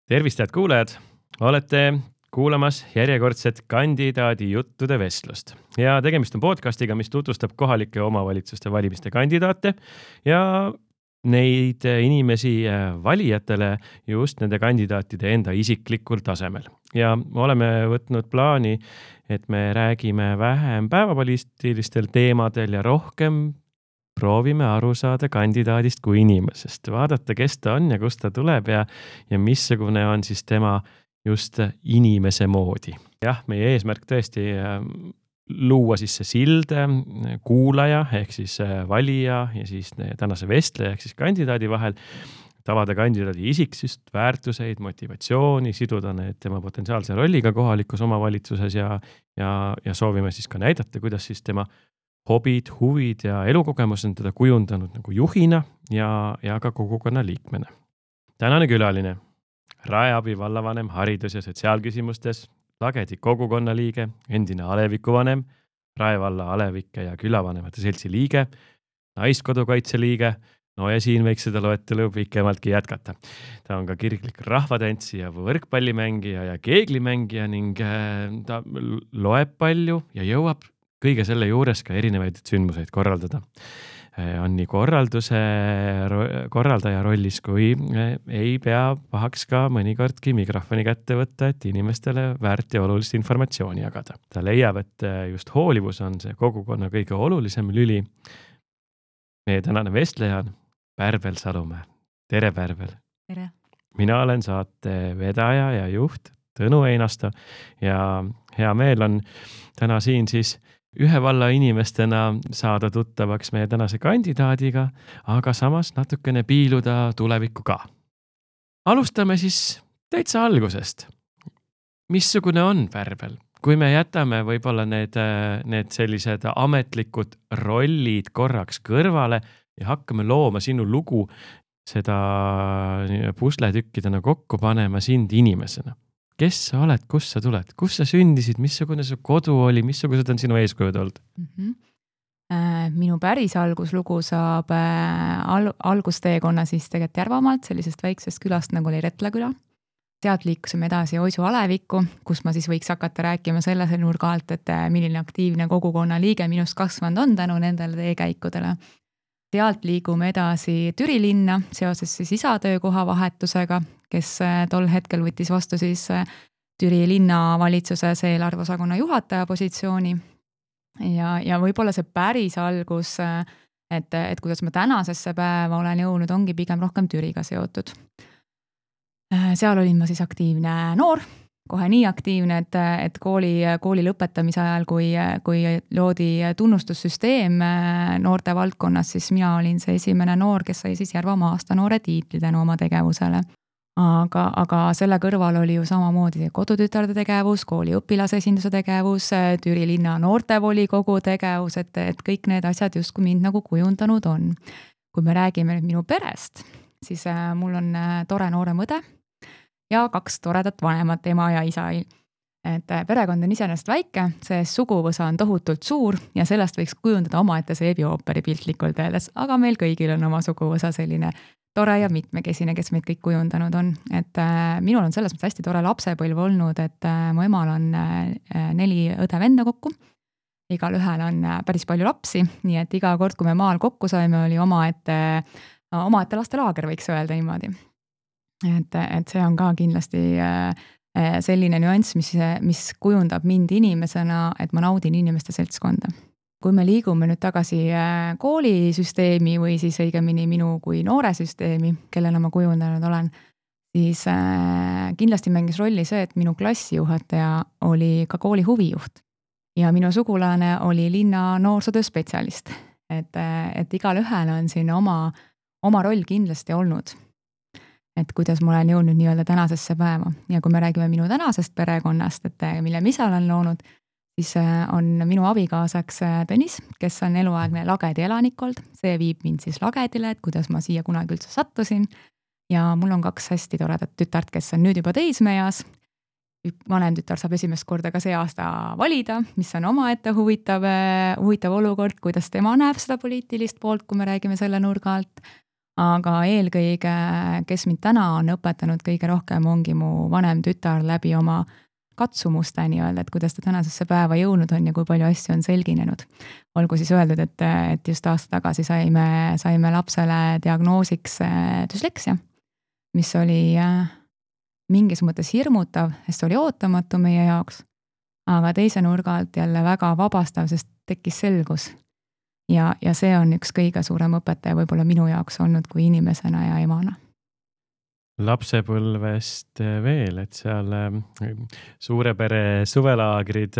Tervist, head kuulajad! Olete kuulamas järjekordset kandidaadi juttude vestlust. Ja tegemist on podcastiga, mis tutvustab kohalike omavalitsuste valimiste kandidaate ja neid inimesi valijatele just nende kandidaatide enda isiklikul tasemel. Ja oleme võtnud plaani, et me räägime vähem päevapoliitilistel teemadel ja rohkem proovime aru saada kandidaadist kui inimesest. Vaadata, kes ta on ja kust ta tuleb ja missugune on siis tema just inimese moodi. Jah, meie eesmärk tõesti luua siis see sild kuulaja ehk siis valija ja siis tänase vestleja ehk siis kandidaadi vahel, tavada kandidaadi isiksust, väärtuseid, motivatsiooni, siduda need tema potentsiaalse rolliga kohalikus omavalitsuses ja soovime siis ka näidata, kuidas siis tema hobid, huvid ja elukogemus on teda kujundanud nagu juhina ja ka kogukonna liikmena. Tänane külaline, Raeabi vallavanem haridus- ja sotsiaalküsimustes, Lagedi kogukonna liige, endine alevikuvanem, Rae valla alevike ja külavanemate seltsi liige, naiskodukaitse liige, no ja siin võiks seda loetelu pikemaltki jätkata. Ta on ka kirglik rahvatantsija, võrkpallimängija ja keeglimängija ning ta loeb palju ja jõuab kõige selle juures ka erinevaid sündmuseid korraldada. On nii korraldaja rollis, kui ei pea pahaks ka mõnikordki mikrofoni kätte võtta, et inimestele väärt ja olulist informatsiooni jagada. Ta leiab, et just hoolivus on see kogukonna kõige olulisem lüli. Meie tänane vestleja on Pärbel Salumäe. Tere, Pärbel! Tere! Mina olen saate vedaja ja juht Tõnu Einasto ja hea meel on täna siin siis ühe valla inimestena saada tuttavaks meie tänase kandidaadiga, aga samas natukene piiluda tulevikku ka. Alustame siis täitsa algusest. Missugune on Pärbel? Kui me jätame võib-olla need sellised ametlikud rollid korraks kõrvale ja hakkame looma sinu lugu, seda pusletükkidena kokku panema sind inimesena. Kes sa oled, kust sa tuled, kus sa sündisid, missugune su kodu oli, missugused on sinu eeskujud olnud? Minu päris alguslugu saab algusteekonna siis tegelikult Järvamaalt, sellisest väiksest külast nagu oli Retla küla. Sealt liikusime edasi Oisu alevikku, kus ma siis võiks hakata rääkima selle nurga alt, et milline aktiivne kogukonna liige minust kasvanud on tänu nendele teekäikudele. Sealt liigume edasi Türi linna seoses siis isa töökoha vahetusega, kes tol hetkel võttis vastu siis Türi linnavalitsuses eelarveosakonna juhataja positsiooni. Ja võib-olla see päris algus, et kuidas ma tänasesse päeva olen jõudnud, ongi pigem rohkem Türiga seotud. Seal olin ma siis aktiivne noor, kohe nii aktiivne, et kooli lõpetamise ajal, kui loodi tunnustussüsteem noorte valdkonnas, siis mina olin see esimene noor, kes sai siis Järvamaa aasta noore tiitli tänu oma tegevusele. Aga selle kõrval oli ju samamoodi kodutütarde tegevus, kooli õpilasesinduse tegevus, Türi linna noortevolikogu tegevus, et kõik need asjad justkui mind nagu kujundanud on. Kui me räägime nüüd minu perest, siis mul on tore noorem õde ja 2 toredat vanemat, ema ja isa. Et perekond on iseenesest väike, see suguvõsa on tohutult suur ja sellest võiks kujundada omaette seebiooperi piltlikult öeldes, aga meil kõigil on oma suguvõsa selline tore ja mitmekesine, kes meid kõik kujundanud on. Et minul on selles mõttes hästi tore lapsepõlv olnud, et mu emal on 4 õde-venda kokku. Igal ühel on päris palju lapsi, nii et iga kord, kui me maal kokku saime, oli omaette lastelaager, võiks öelda niimoodi. Et see on ka kindlasti selline nüanss, mis kujundab mind inimesena, et ma naudin inimeste seltskonda. Kui me liigume nüüd tagasi koolisüsteemi või siis õigemini minu kui noore süsteemi, kellena ma kujundanud olen, siis kindlasti mängis rolli see, et minu klassijuhataja oli ka kooli huvijuht ja minu sugulane oli linna noorsootöö spetsialist. Et igal ühel on siin oma roll kindlasti olnud, et kuidas ma olen jõudnud nii-öelda tänasesse päeva. Ja kui me räägime minu tänasest perekonnast, et mille ma ise olen loonud, siis on minu abikaasaks Tõnis, kes on eluaegne Lagedi elanikult. See viib mind siis Lagedile, et kuidas ma siia kunagi üldse sattusin. Ja mul on 2 hästi toredat tütart, kes on nüüd juba teismeeas. Vanem tütar saab esimest korda ka see aasta valida, mis on omaette huvitav olukord, kuidas tema näeb seda poliitilist poolt, kui me räägime selle nurga alt. aga eelkõige, kes mind täna on õpetanud kõige rohkem, ongi mu vanem tütar läbi oma katsumuste nii-öelda, et kuidas ta tänasesse päeva jõudnud on ja kui palju asju on selginenud. Olgu siis öeldud, et just aasta tagasi saime lapsele diagnoosiks düsleksia, mis oli mingis mõttes hirmutav, sest oli ootamatu meie jaoks, aga teise nurga alt jälle väga vabastav, sest tekkis selgus. Ja see on üks kõige suurem õpetaja võib-olla minu jaoks olnud kui inimesena ja emana. Lapsepõlvest veel, et seal suure pere suvelaagrid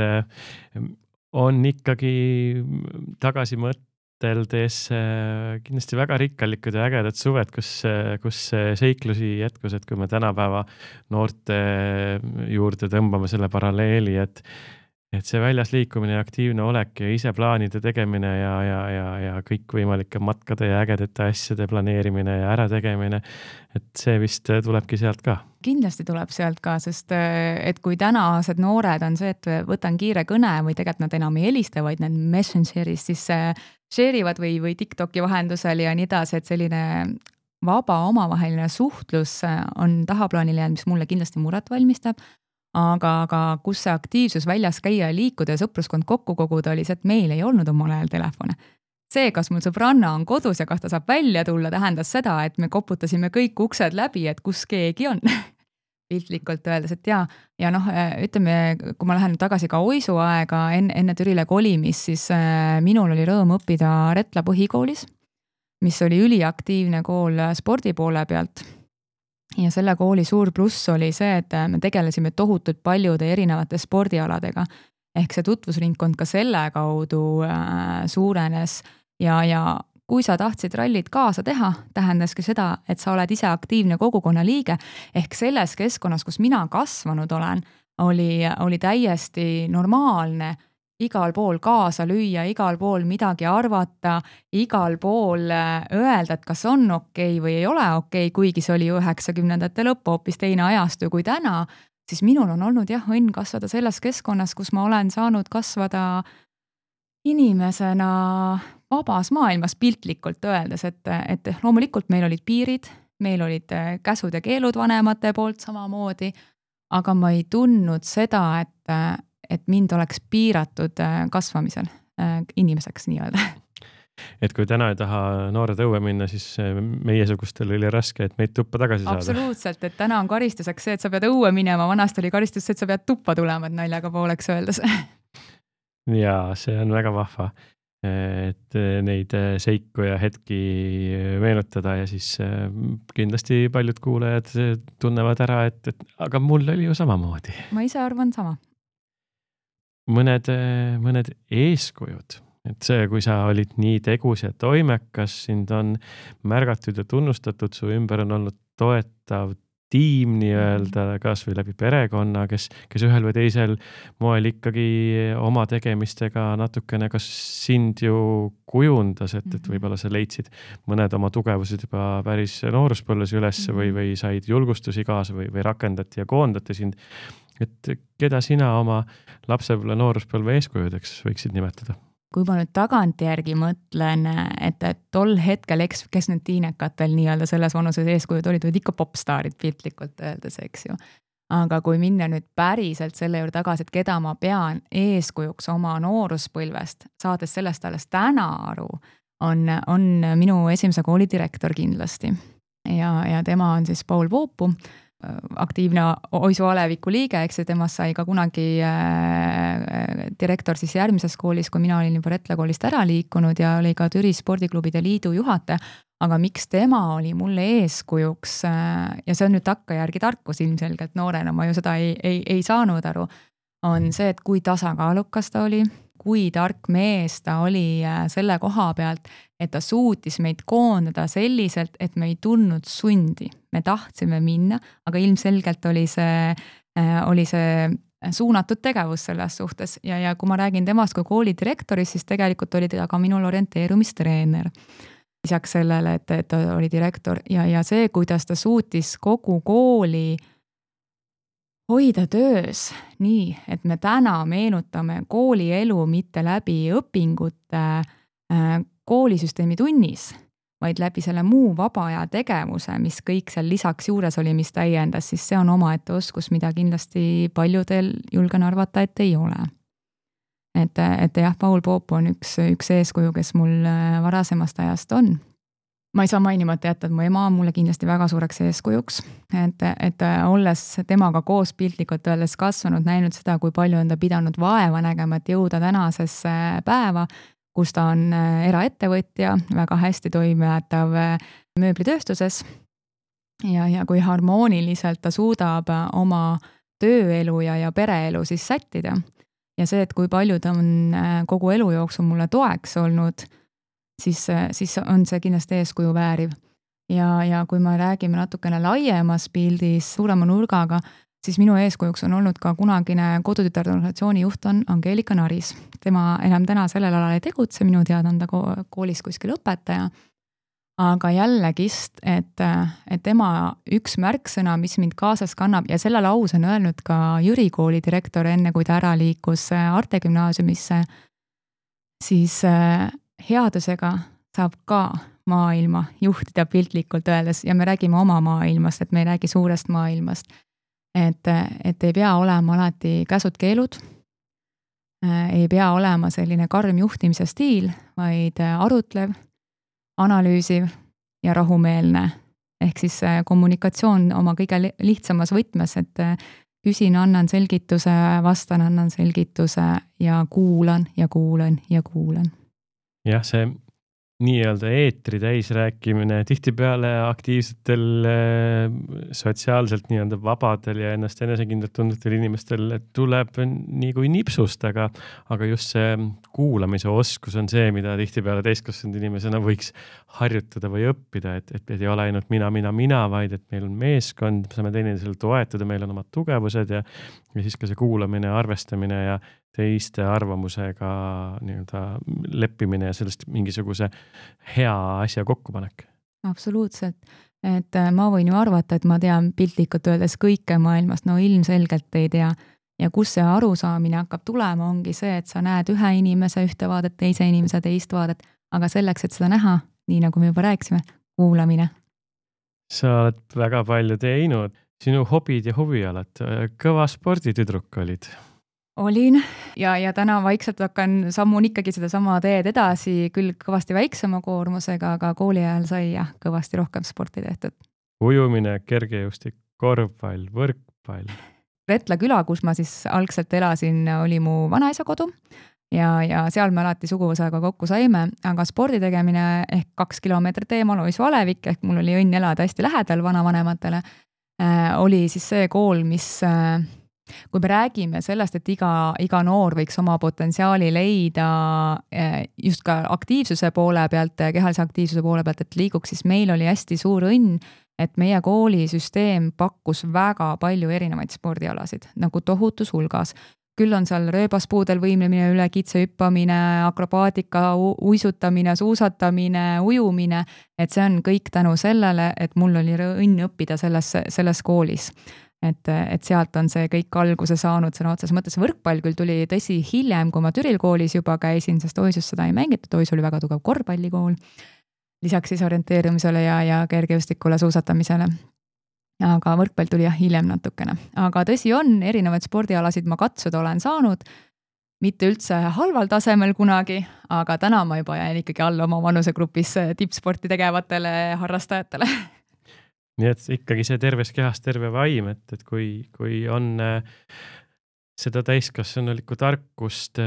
on ikkagi tagasi mõteldes kindlasti väga rikkalikud ja ägedad suved, kus seiklusi jätkus, et kui me tänapäeva noorte juurde tõmbame selle paralleeli, et see väljas liikumine ja aktiivne olek ja ise plaanide tegemine ja kõikvõimalike matkade ja ägedate asjade planeerimine ja ärategemine, et see vist tulebki sealt ka. Kindlasti tuleb sealt ka, sest et kui tänased noored on see, et võtan kiire kõne või tegelikult nad enam ei helista, vaid need Messengeris siis share ivad või TikToki vahendusel ja nii edasi, et selline vaba omavaheline suhtlus on tahaplaanile jäänud, mis mulle kindlasti muret valmistab. Aga kus see aktiivsus väljas käia ja liikuda ja sõpruskond kokku koguda oli see, et meil ei olnud omal ajal telefone. See, kas mul sõbranna on kodus ja kas ta saab välja tulla, tähendas seda, et me koputasime kõik uksed läbi, et kus keegi on. Piltlikult öeldes, et ja ütleme, kui ma lähen tagasi ka Oisu aega enne Türile kolimis, siis minul oli rõõm õppida Retla põhikoolis, mis oli üliaktiivne kool spordi poole pealt. Ja selle kooli suur pluss oli see, et me tegelesime tohutult paljude erinevate spordialadega. Ehk see tutvusringkond ka selle kaudu suurenes ja kui sa tahtsid rallit kaasa teha, tähendaski seda, et sa oled ise aktiivne kogukonna liige. Ehk selles keskkonnas, kus mina kasvanud olen, oli täiesti normaalne igal pool kaasa lüüa, igal pool midagi arvata, igal pool öelda, et kas on okei või ei ole okei, kuigi see oli 90ndate lõpp hoopis teine ajastu kui täna, siis minul on olnud õnn kasvada selles keskkonnas, kus ma olen saanud kasvada inimesena vabas maailmas piltlikult öeldes, et loomulikult meil olid piirid, meil olid käsud ja keelud vanemate poolt samamoodi, aga ma ei tundnud seda, et mind oleks piiratud kasvamisel inimeseks nii-öelda. Et kui täna ei taha noored õue minna, siis meiesugustel oli raske, et meid tuppa tagasi saada. Absoluutselt, et täna on karistuseks see, et sa pead õue minema, vanasti oli karistus see, et sa pead tuppa tulema, et naljaga pooleks öeldes. Ja see on väga vahva, et neid seiku ja hetki meenutada ja siis kindlasti paljud kuulajad tunnevad ära, et aga mul oli ju samamoodi. Ma ise arvan sama. Mõned eeskujud, et see, kui sa olid nii tegus ja toimekas, sind on märgatud ja tunnustatud, su ümber on olnud toetav tiim nii-öelda, kas või läbi perekonna, kes ühel või teisel moel ikkagi oma tegemistega natukene kas sind ju kujundas, et võib-olla sa leidsid mõned oma tugevused juba päris nooruspõlves üles või said julgustusi kaasa või rakendati ja koondati sind. Et keda sina oma lapsepõlve nooruspõlve eeskujudeks võiksid nimetada? Kui ma nüüd tagantjärgi mõtlen, et tol hetkel, kes nüüd tiinekatel nii-öelda selles vanuses eeskujud olid ikka popstaarid piltlikult öeldes, eks ju. Aga kui minna nüüd päriselt selle juurde tagasi, et keda ma pean eeskujuks oma nooruspõlvest, saades sellest alles täna aru, on minu esimese kooli direktor kindlasti. Ja tema on siis Paul Voopu, aktiivne Oisu Aleviku liige, eks temast sai ka kunagi direktor siis järgmises koolis, kui mina olin juba Retla koolist ära liikunud ja oli ka Türi spordiklubide liidu juhataja, aga miks tema oli mulle eeskujuks ja see on nüüd takkajärgi tarkus ilmselgelt noorena, ma ju seda ei saanud aru, on see, et kui tasakaalukas ta oli, kui tark mees ta oli selle koha pealt, et ta suutis meid koondada selliselt, et me ei tundnud sundi. Me tahtsime minna, aga ilmselgelt oli see suunatud tegevus selles suhtes. Ja kui ma räägin temast kui kooli direktorist, siis tegelikult oli ta ka minul orienteerumistreener. Lisaks sellele, et ta oli direktor ja see, kuidas ta suutis kogu kooli hoida töös nii, et me täna meenutame koolielu mitte läbi õpingute koolisüsteemi tunnis, vaid läbi selle muu vaba aja tegevuse, mis kõik seal lisaks juures oli, mis täiendas, siis see on omaette oskus, mida kindlasti paljudel julgen arvata, et ei ole. Et jah, Paul Poop on üks eeskuju, kes mul varasemast ajast on. Ma ei saa mainimata jätta, et mu ema on mulle kindlasti väga suureks eeskujuks, et olles temaga koos piltlikult öeldes kasvanud, näinud seda, kui palju on ta pidanud vaeva nägema, et jõuda tänasesse päeva, kus ta on eraettevõtja, väga hästi toimetav mööblitööstuses ja kui harmooniliselt ta suudab oma tööelu ja pereelu siis sättida. Ja see, et kui palju ta on kogu elu jooksul mulle toeks olnud, siis on see kindlasti eeskuju vääriv. Ja kui me räägime natukene laiemas pildis suurema nurgaga, siis minu eeskujuks on olnud ka kunagine kodutütarde organisatsiooni juht on Angeelika Naris. Tema enam täna sellel alal ei tegutse, minu teada on ta koolis kuskil õpetaja. Aga jällegist, et tema üks märksõna, mis mind kaasas kannab ja selle lause on öelnud ka Jüri kooli direktor enne, kui ta ära liikus Arte gümnaasiumisse, siis headusega saab ka maailma juhtida piltlikult öeldes ja me räägime oma maailmast, et me ei räägi suurest maailmast. Et ei pea olema alati käsud-keelud, ei pea olema selline karm juhtimise stiil, vaid arutlev, analüüsiv ja rahumeelne. Ehk siis kommunikatsioon oma kõige lihtsamas võtmes, et küsin, annan selgituse, vastan, annan selgituse ja kuulan ja kuulan ja kuulan. Jah, see nii-öelda eetri täis rääkimine tihtipeale aktiivsetel, sotsiaalselt nii-öelda vabadel ja ennast enesekindlalt tundetel inimestel tuleb nii kui nipsust, aga just see kuulamise oskus on see, mida tihtipeale täiskasvanud inimesena võiks harjutada või õppida, et ei ole ainult mina, vaid et meil on meeskond, saame teineteisel toetada, meil on omad tugevused ja siis ka see kuulamine, arvestamine ja teiste arvamusega nii-öelda leppimine ja sellest mingisuguse hea asja kokkupanek. Absoluutselt. Et ma võin ju arvata, et ma tean piltlikult öeldes kõike maailmast, no ilmselgelt ei tea. Ja kus see arusaamine hakkab tulema, ongi see, et sa näed ühe inimese ühte vaadet, teise inimese teist vaadet, aga selleks, et seda näha, nii nagu me juba rääkisime, kuulamine. Sa oled väga palju teinud. Sinu hobid ja huvialad, kõva sporditüdruk olid. Olin ja täna vaikselt hakkan sammun ikkagi seda sama teed edasi, küll kõvasti väiksema koormusega, aga kooli ajal sai kõvasti rohkem sporti tehtud. Ujumine, kergejõustik, korvpall, võrkpall. Retla küla, kus ma siis algselt elasin, oli mu vanaisa kodu ja seal me alati suguvõsaga kokku saime, aga spordi tegemine ehk 2 kilomeetrit eemal Oisu Alevik, ehk mul oli õnn elada hästi lähedal vanavanematele, oli siis see kool, mis kui me räägime sellest, et iga noor võiks oma potentsiaali leida just ka aktiivsuse poole pealt, kehalise aktiivsuse poole pealt, et liiguks, siis meil oli hästi suur õnn, et meie koolisüsteem pakkus väga palju erinevaid spordialasid, nagu tohutus hulgas. Küll on seal rööbaspuudel võimlemine, üle kitse hüppamine, akrobaatika, uisutamine, suusatamine, ujumine, et see on kõik tänu sellele, et mul oli õnn õppida selles koolis. Et sealt on see kõik alguse saanud sõna otses mõttes. Võrkpall küll tuli tõsi hiljem, kui ma Türil koolis juba käisin, sest Oisus seda ei mängitud, Oisu oli väga tugev korvpallikool, lisaks siis orienteerumisele ja kergejõustikule, suusatamisele. Aga võrkpall tuli hiljem natukene. Aga tõsi on, erinevaid spordialasid ma katsuda olen saanud, mitte üldse halval tasemel kunagi, aga täna ma juba jään ikkagi alla oma vanusegrupis tippsporti tegevatele harrastajatele. Nii et ikkagi see terves kehas terve vaim, et kui on seda täiskasvanulikku tarkust,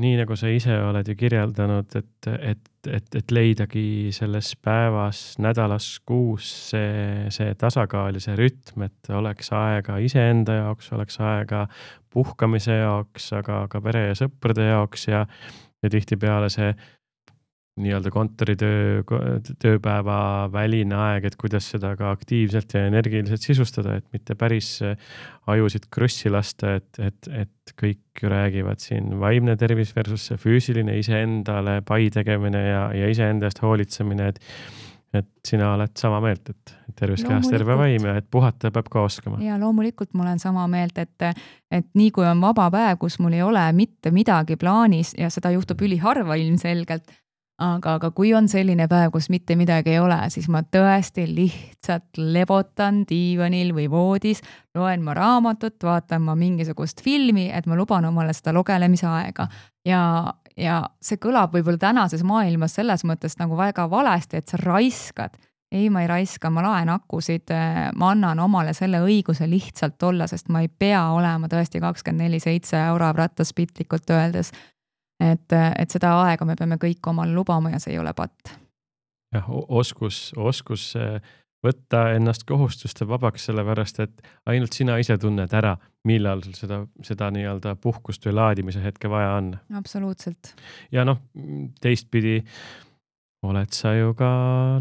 nii nagu sa ise oled ju kirjeldanud, et leidagi selles päevas, nädalas, kuus see tasakaal ja see rütm, et oleks aega iseenda jaoks, oleks aega puhkamise jaoks, aga ka pere ja sõprade jaoks ja tihtipeale see nii-öelda kontoritööpäeva väline aeg, et kuidas seda ka aktiivselt ja energiliselt sisustada, et mitte päris ajusid krussi lasta, et kõik räägivad siin vaimne tervis versus see füüsiline iseendale pai tegemine ja iseenda eest hoolitsemine, et sina oled sama meelt, et terves kehas terve vaim ja et puhata peab ka oskama. Ja loomulikult ma olen sama meelt, et nii kui on vaba päev, kus mul ei ole mitte midagi plaanis ja seda juhtub üliharva ilmselgelt, aga kui on selline päev, kus mitte midagi ei ole, siis ma tõesti lihtsalt lebotan diivanil või voodis, loen ma raamatut, vaatan ma mingisugust filmi, et ma luban omale seda lugelemise aega. Ja see kõlab võib-olla tänases maailmas selles mõttes nagu väga valesti, et sa raiskad. Ei, ma ei raiska, ma laen akusid, ma annan omale selle õiguse lihtsalt olla, sest ma ei pea olema tõesti 24/7 orav rattas pitlikult öeldes. Et seda aega me peame kõik omal lubama ja see ei ole patt. Jah, oskus võtta ennast kohustuste vabaks, sellepärast, et ainult sina ise tunned ära, millal sul seda nii-öelda puhkust või laadimise hetke vaja on. Absoluutselt. Ja teistpidi oled sa ju ka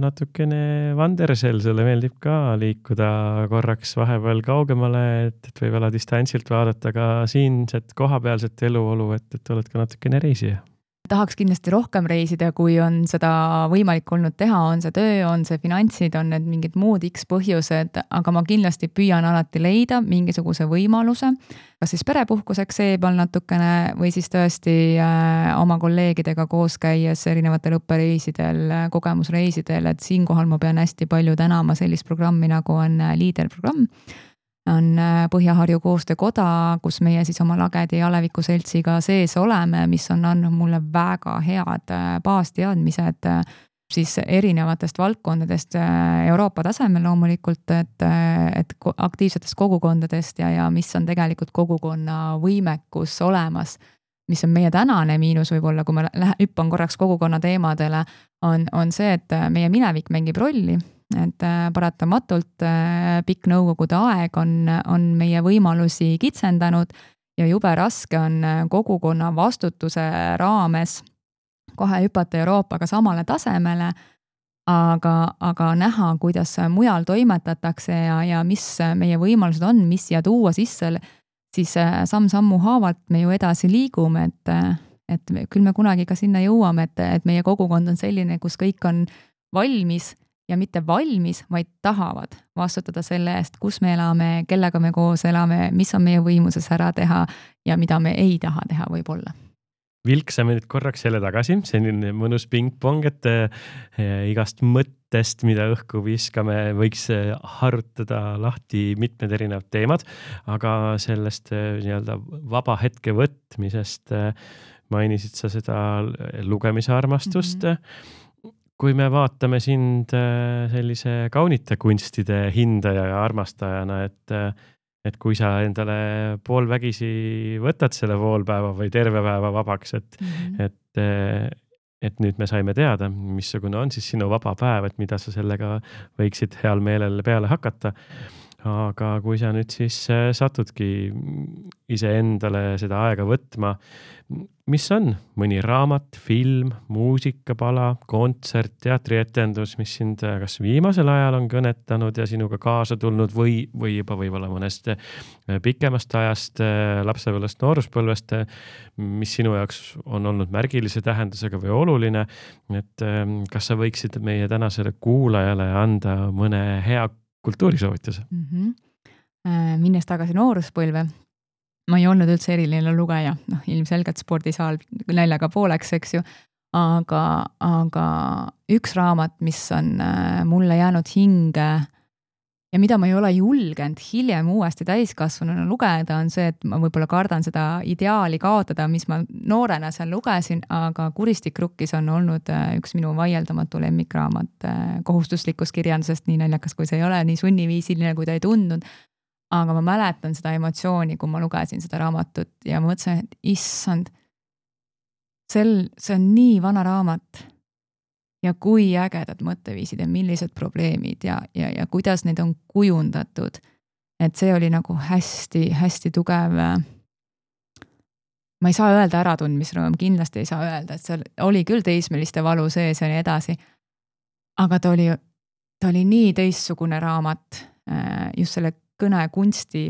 natukene vandersel, sulle meeldib ka liikuda korraks vahepeal kaugemale, et võib-olla distantsilt vaadata ka siinset kohapealset eluolu, et oled ka natukene reisija. Tahaks kindlasti rohkem reisida, kui on seda võimalik olnud teha, on see töö, on see finantsid, on need mingid muud X põhjused, aga ma kindlasti püüan alati leida mingisuguse võimaluse, kas siis perepuhkuseks seebal natukene või siis tõesti oma kolleegidega koos käies erinevatel õppereisidel, kogemusreisidel, et siinkohal ma pean hästi palju tänama sellist programmi, nagu on Leader-programm. On Põhja-Harju koostöökoda, kus meie siis oma Lagedi ja Aleviku seltsiga sees oleme, mis on andnud mulle väga head baasteadmised siis erinevatest valdkondadest Euroopa tasemel loomulikult, et aktiivsetest kogukondadest ja mis on tegelikult kogukonna võimekus olemas, mis on meie tänane miinus võib-olla, kui ma hüppan korraks kogukonna teemadele, on see, et meie minevik mängib rolli. Et paratamatult pikk nõukogude aeg on meie võimalusi kitsendanud ja jube raske on kogukonna vastutuse raames kohe hüpata Euroopaga samale tasemele, aga näha, kuidas mujal toimetatakse ja mis meie võimalused on, mis siia tuua sisse, siis samm-sammu haavalt me ju edasi liigume, et küll me kunagi ka sinna jõuame, et meie kogukond on selline, kus kõik on valmis ja mitte valmis, vaid tahavad vastutada selle eest, kus me elame, kellega me koos elame, mis on meie võimuses ära teha ja mida me ei taha teha võib-olla. Vilksame nüüd korraks jälle tagasi, selline mõnus pingpong, et igast mõttest, mida õhku viskame, võiks harutada lahti mitmed erinevad teemad, aga sellest nii-öelda vaba hetke võtmisest mainisid sa seda lugemise armastust. Kui me vaatame sind sellise kaunite kunstide hindaja ja armastajana, et kui sa endale poolvägisi võtad selle poolpäeva või terve päeva vabaks, et nüüd me saime teada, missugune on siis sinu vaba päev, et mida sa sellega võiksid heal meelel peale hakata. Aga kui sa nüüd siis satudki ise endale seda aega võtma, mis on mõni raamat, film, muusikapala, kontsert, teatrietendus, mis sind kas viimasel ajal on kõnetanud ja sinuga kaasa tulnud või juba võib-olla mõnest pikemast ajast, lapsepõlvest, nooruspõlvest, mis sinu jaoks on olnud märgilise tähendusega või oluline, et kas sa võiksid meie tänasele kuulajale anda mõne hea kultuurisoovituse? Minnes tagasi nooruspõlve, ma ei olnud üldse eriline lugeja, ilmselgelt spordisaal näljaga pooleks, eks ju, aga üks raamat, mis on mulle jäänud hinge ja mida ma ei ole julgenud hiljem uuesti täiskasvanuna lugeda, on see, et ma võib-olla kardan seda ideaali kaotada, mis ma noorena seal lugesin, aga Kuristik rukkis on olnud üks minu vaieldamatu lemmikraamat kohustuslikust kirjandusest, nii naljakas kui see ei ole, nii sunniviisiline, kui ta ei tundnud. Aga ma mäletan seda emotsiooni, kui ma lugesin seda raamatut ja mõtlesin, et issand, see on nii vana raamat ja kui ägedad mõtteviisid ja millised probleemid ja kuidas neid on kujundatud. Et see oli nagu hästi tugev, ma ei saa öelda äratundmisrõõm, kindlasti ei saa öelda, et seal oli küll teismeliste valu sees ja nii edasi, aga ta oli nii teistsugune raamat just selle kõnekunsti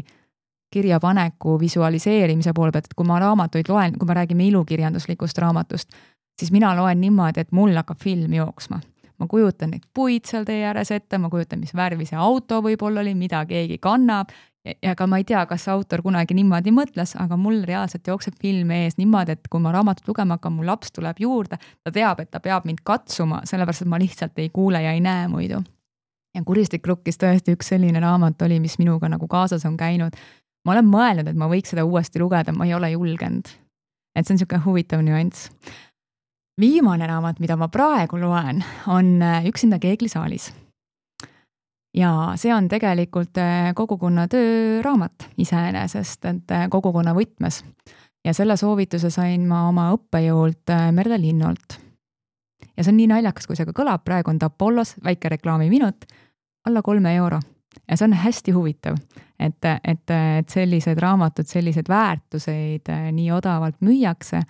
kirjapaneku visualiseerimise poole pealt, et kui ma raamatuid loen, kui me räägime ilukirjanduslikust raamatust, siis mina loen niimoodi, et mul hakkab film jooksma. ma kujutan neid puid seal tee ääres ette, ma kujutan, mis värvi see auto võib-olla oli, mida keegi kannab ja ka ma ei tea, kas autor kunagi niimoodi mõtles, aga mul reaalselt jookseb film ees niimoodi, et kui ma raamatut lugema hakkan, mu laps tuleb juurde, ta teab, et ta peab mind katsuma, sellepärast, et ma lihtsalt ei kuule ja ei näe muidu. Ja Kuristik rukkis tõesti üks selline raamat oli, mis minuga nagu kaasas on käinud. Ma olen mõelnud, et ma võiks seda uuesti lugeda, ma ei ole julgenud. Et see on niisugune huvitav nüanss. Viimane raamat, mida ma praegu loen, on Üksinda keeglisaalis. Ja see on tegelikult kogukonna tööraamat iseenesest, et kogukonna võtmes. Ja selle soovituse sain ma oma õppejõult Merle Linnolt. Ja see on nii naljakas, kui see ka kõlab, praegu on ta Apollos, väike reklaamiminut, alla 3 €. Ja see on hästi huvitav, et sellised raamatud, sellised väärtuseid nii odavalt müüakse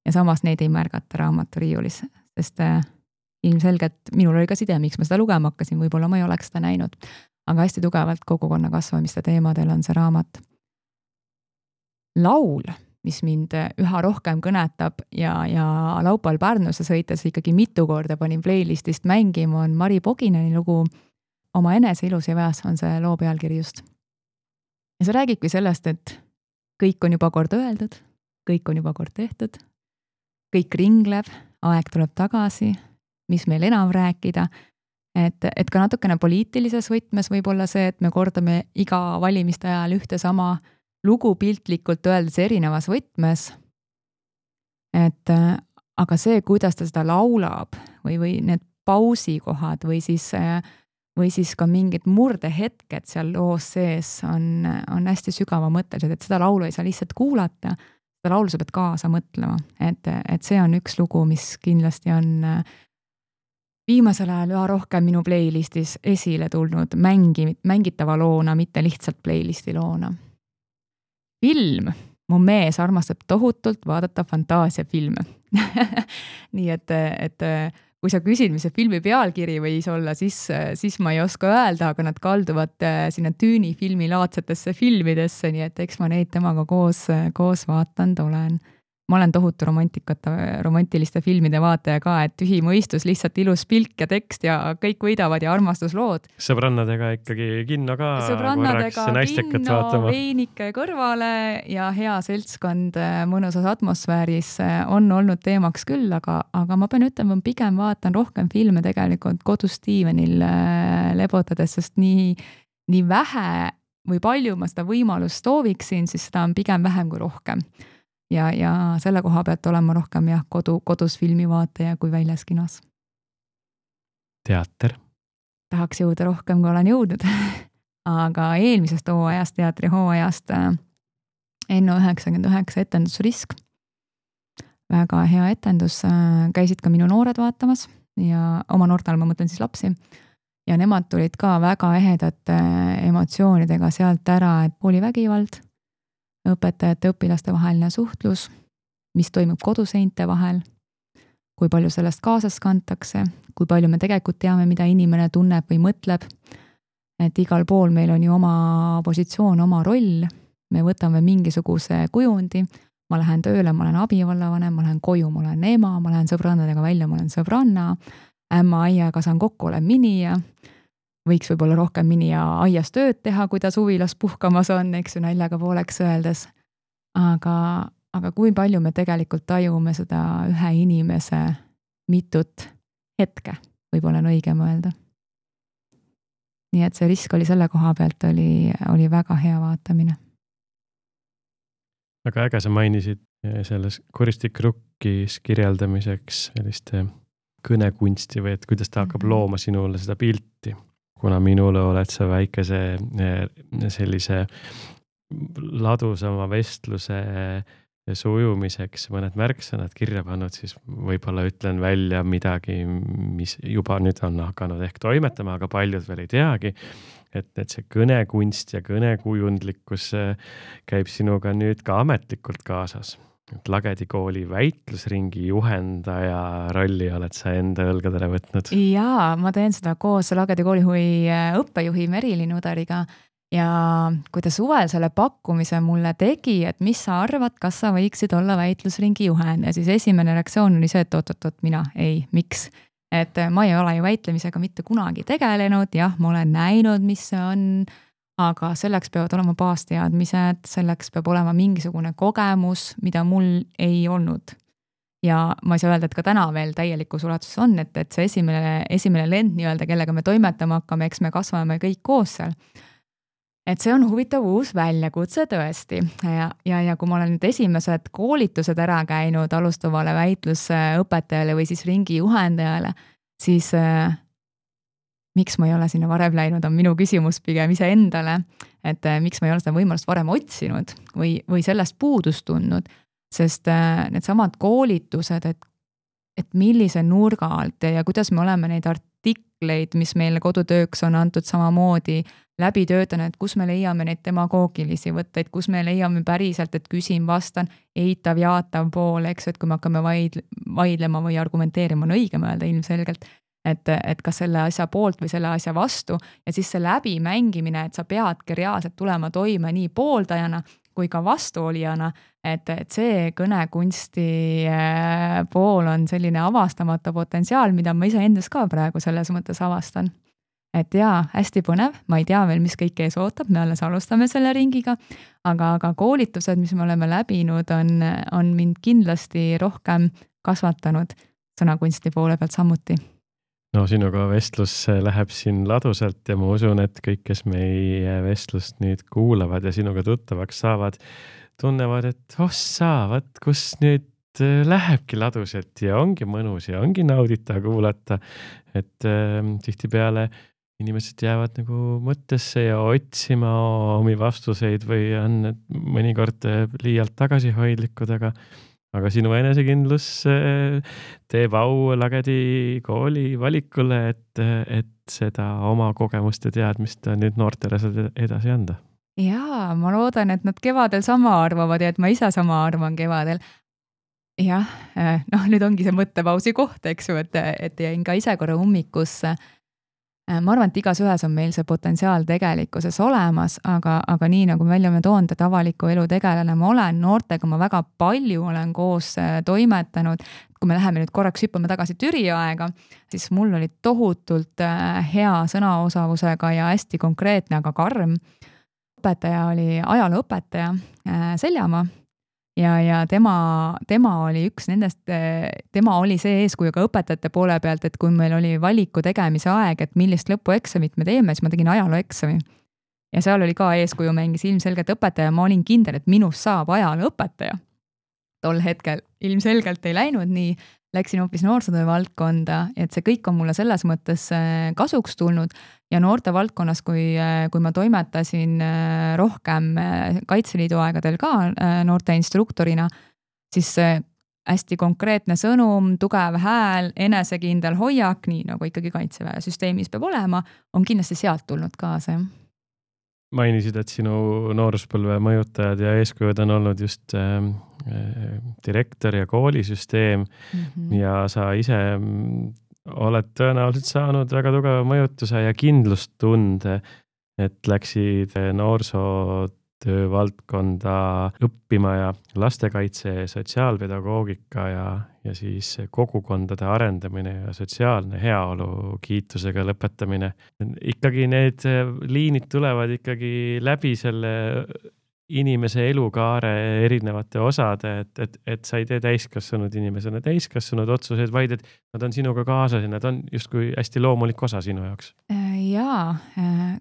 ja samas neid ei märgata raamaturiiulis, sest ilmselgelt minul oli ka side, miks ma seda lugema hakkasin, võib-olla ma ei oleks seda näinud, aga hästi tugevalt kogukonna kasvamiste teemadel on see raamat. Laul, mis mind üha rohkem kõnetab ja laupäeval Pärnusse sõites ikkagi mitu korda panin playlistist mängima, on Mari Pogineni lugu Oma enese ilus ja väes on see loo pealkiri just. Ja see räägibki sellest, et kõik on juba kord öeldud, kõik on juba kord tehtud, kõik ringleb, aeg tuleb tagasi, mis meil enam rääkida, et ka natukene poliitilises võtmes võib olla see, et me kordame iga valimiste ajal ühte sama lugu piltlikult öeldes erinevas võtmes, aga see, kuidas ta seda laulab või need pausikohad või siis ka mingid murdehetked seal loos sees on hästi sügava mõttelised, et seda laulu ei saa lihtsalt kuulata, seda laulu sa pead kaasa mõtlema, et see on üks lugu, mis kindlasti on viimasel ajal üha rohkem minu playlistis esile tulnud mängitava loona, mitte lihtsalt playlisti loona. Film. Mu mees armastab tohutult vaadata fantaasiafilme. Nii et kui sa küsid, mis see filmi pealkiri võis olla, siis ma ei oska öelda, aga nad kalduvad sinna Tüüni filmi laadsetesse filmidesse, nii et eks ma neid temaga koos vaatanud olen. Ma olen tohutu romantiliste filmide vaataja ka, et tühi mõistus, lihtsalt ilus pilk ja tekst ja kõik võidavad ja armastuslood. Sõbrannadega ikkagi kinno ka korraks naistekat vaatama. Veinike kõrvale ja hea seltskond mõnusas atmosfääris on olnud teemaks küll, aga ma pean ütlema, pigem vaatan rohkem filme tegelikult kodus Stevenil lebotades, sest nii vähe või palju ma seda võimalust sooviksin, siis seda on pigem vähem kui rohkem. Ja selle koha pealt olema rohkem kodus filmivaataja kui väljas kinos. Teater. Tahaks jõuda rohkem, kui olen jõudnud. Aga eelmisest hooajast, teatri hooajast Enno 99 etendusrisk. Väga hea etendus. Käisid ka minu noored vaatamas ja oma noortel ma mõtlen siis lapsi. Ja nemad tulid ka väga ehedate emotsioonidega sealt ära, et oli vägivald, õpetajate õpilaste vaheline suhtlus, mis toimub koduseinte vahel, kui palju sellest kaasas kantakse, kui palju me tegelikult teame, mida inimene tunneb või mõtleb, et igal pool meil on ju oma positsioon, oma roll, me võtame mingisuguse kujundi, ma lähen tööle, ma olen abivallavanem, ma lähen koju, ma olen ema, ma lähen sõbrannadega välja, ma olen sõbranna, ämma aiaga saan kokku, olen minija, võiks võib-olla rohkem mini ja aias tööd teha, kui ta suvilas puhkamas on, eks ju naljaga pooleks öeldes. Aga kui palju me tegelikult tajume seda ühe inimese mitut hetke, võib-olla on õige mõelda. Nii et see risk oli selle koha pealt oli väga hea vaatamine. Väga äge sa mainisid selles Kuristik rukkis kirjeldamiseks selliste kõnekunsti või et kuidas ta hakkab looma sinule seda pilti. Kuna minule oled sa väikese sellise ladusama vestluse sujumiseks mõned märksõnad kirja pannud, siis võib-olla ütlen välja midagi, mis juba nüüd on hakanud ehk toimetama, aga paljud veel ei teagi, et see kõnekunst ja kõnekujundlikkus käib sinuga nüüd ka ametlikult kaasas. Lagedi kooli väitlusringi juhendaja rolli oled sa enda õlgadele võtnud? Jaa, ma teen seda koos Lagedi koolihuvi õppejuhi Merilin Udariga ja kui ta suvel selle pakkumise mulle tegi, et mis sa arvad, kas sa võiksid olla väitlusringi juhend ja siis esimene reaktsioon oli see, et oot, mina, ei, miks? et ma ei ole ju väitlemisega mitte kunagi tegelenud, jah, ma olen näinud, mis see on, aga selleks peavad olema baasteadmised, selleks peab olema mingisugune kogemus, mida mul ei olnud. Ja ma ei saa öelda, et ka täna veel täielikus ulatuses on, et see esimene lend nii-öelda, kellega me toimetama hakkame, eks me kasvame kõik koos seal. Et see on huvitav uus väljakutse tõesti ja kui ma olen nüüd esimesed koolitused ära käinud alustavale väitlusõpetajale või siis ringi juhendajale, siis miks ma ei ole sinna varem läinud, on minu küsimus pigem iseendale, et miks ma ei ole seda võimalust varem otsinud või sellest puudust tundnud. Sest need samad koolitused, et millise nurga alt ja kuidas me oleme neid artikleid, mis meile kodutööks on antud samamoodi läbi töötanud, et kus me leiame neid demagoogilisi võtteid, kus me leiame päriselt, et küsin, vastan, eitav, jaatav pool, eks, et kui me hakkame vaidlema või argumenteerima, on õigem öelda ilmselgelt, et kas selle asja poolt või selle asja vastu ja siis see läbimängimine, et sa peadki reaalselt tulema toime nii pooldajana kui ka vastuolijana, et see kõnekunsti pool on selline avastamata potentsiaal, mida ma ise endas ka praegu selles mõttes avastan. Et jaa, hästi põnev, ma ei tea veel, mis kõik ees ootab, me alles alustame selle ringiga, aga koolitused, mis me oleme läbinud, on mind kindlasti rohkem kasvatanud sõnakunsti poole pealt samuti. No sinuga vestlus läheb siin ladusalt ja ma usun, et kõik, kes meie vestlust nüüd kuulavad ja sinuga tuttavaks saavad, tunnevad, et saavad, kus nüüd lähebki ladusalt ja ongi mõnus ja ongi naudita kuulata, et tihtipeale inimesed jäävad nagu mõttesse ja otsima omi vastuseid või on mõnikord liialt tagasihoidlikud, aga sinu enesekindlus teeb au Lagedi kooli valikule, et seda oma kogemuste teadmist nüüd noortele edasi anda. Jaa, ma loodan, et nad kevadel sama arvavad ja et ma ise sama arvan kevadel. Jah, nüüd ongi see mõttepausi koht, eks ju, et jäin ka ise korra ummikusse. Ma arvan, et igas ühes on meil see potentsiaal tegelikkuses olemas, aga nii nagu välja me toonud, et avaliku elu tegelane ma olen, noortega ma väga palju olen koos toimetanud. Kui me läheme nüüd korraks hüppame tagasi Türi aega, siis mul oli tohutult hea sõnaosavusega ja hästi konkreetne, aga karm. Õpetaja oli ajalooõpetaja Seljamaa ja tema oli üks nendest, tema oli see eeskuju ka õpetajate poole pealt, et kui meil oli valiku tegemise aeg, et millist lõpueksamit me teeme, siis ma tegin ajalooeksami. Ja seal oli ka eeskuju mängis ilmselgelt õpetaja, ma olin kindel, et minust saab ajalooõpetaja. Tol hetkel ilmselgelt ei läinud nii, läksin hoopis noorsootöö valdkonda, et see kõik on mulle selles mõttes kasuks tulnud ja noorte valdkonnas, kui ma toimetasin rohkem Kaitseliidu aegadel ka noorte instruktorina, siis hästi konkreetne sõnum, tugev hääl, enesekindel hoiak, nii nagu ikkagi Kaitseväe süsteemis peab olema, on kindlasti sealt tulnud kaasa. Mainisid, et sinu nooruspõlve mõjutajad ja eeskujud on olnud just direktor ja koolisüsteem ja sa ise oled tõenäoliselt saanud väga tugeva mõjutuse ja kindlustunde, et läksid noorsootöö valdkonda õppima ja lastekaitse, sotsiaalpedagoogika ja siis kogukondade arendamine ja sotsiaalne heaolu kiitusega lõpetamine. Ikkagi need liinid tulevad ikkagi läbi selle inimese elukaare erinevate osade, et sa ei tee täiskasvanud inimesena täiskasvanud otsuseid, vaid et nad on sinuga kaasas ja nad on justkui hästi loomulik osa sinu jaoks. Jaa,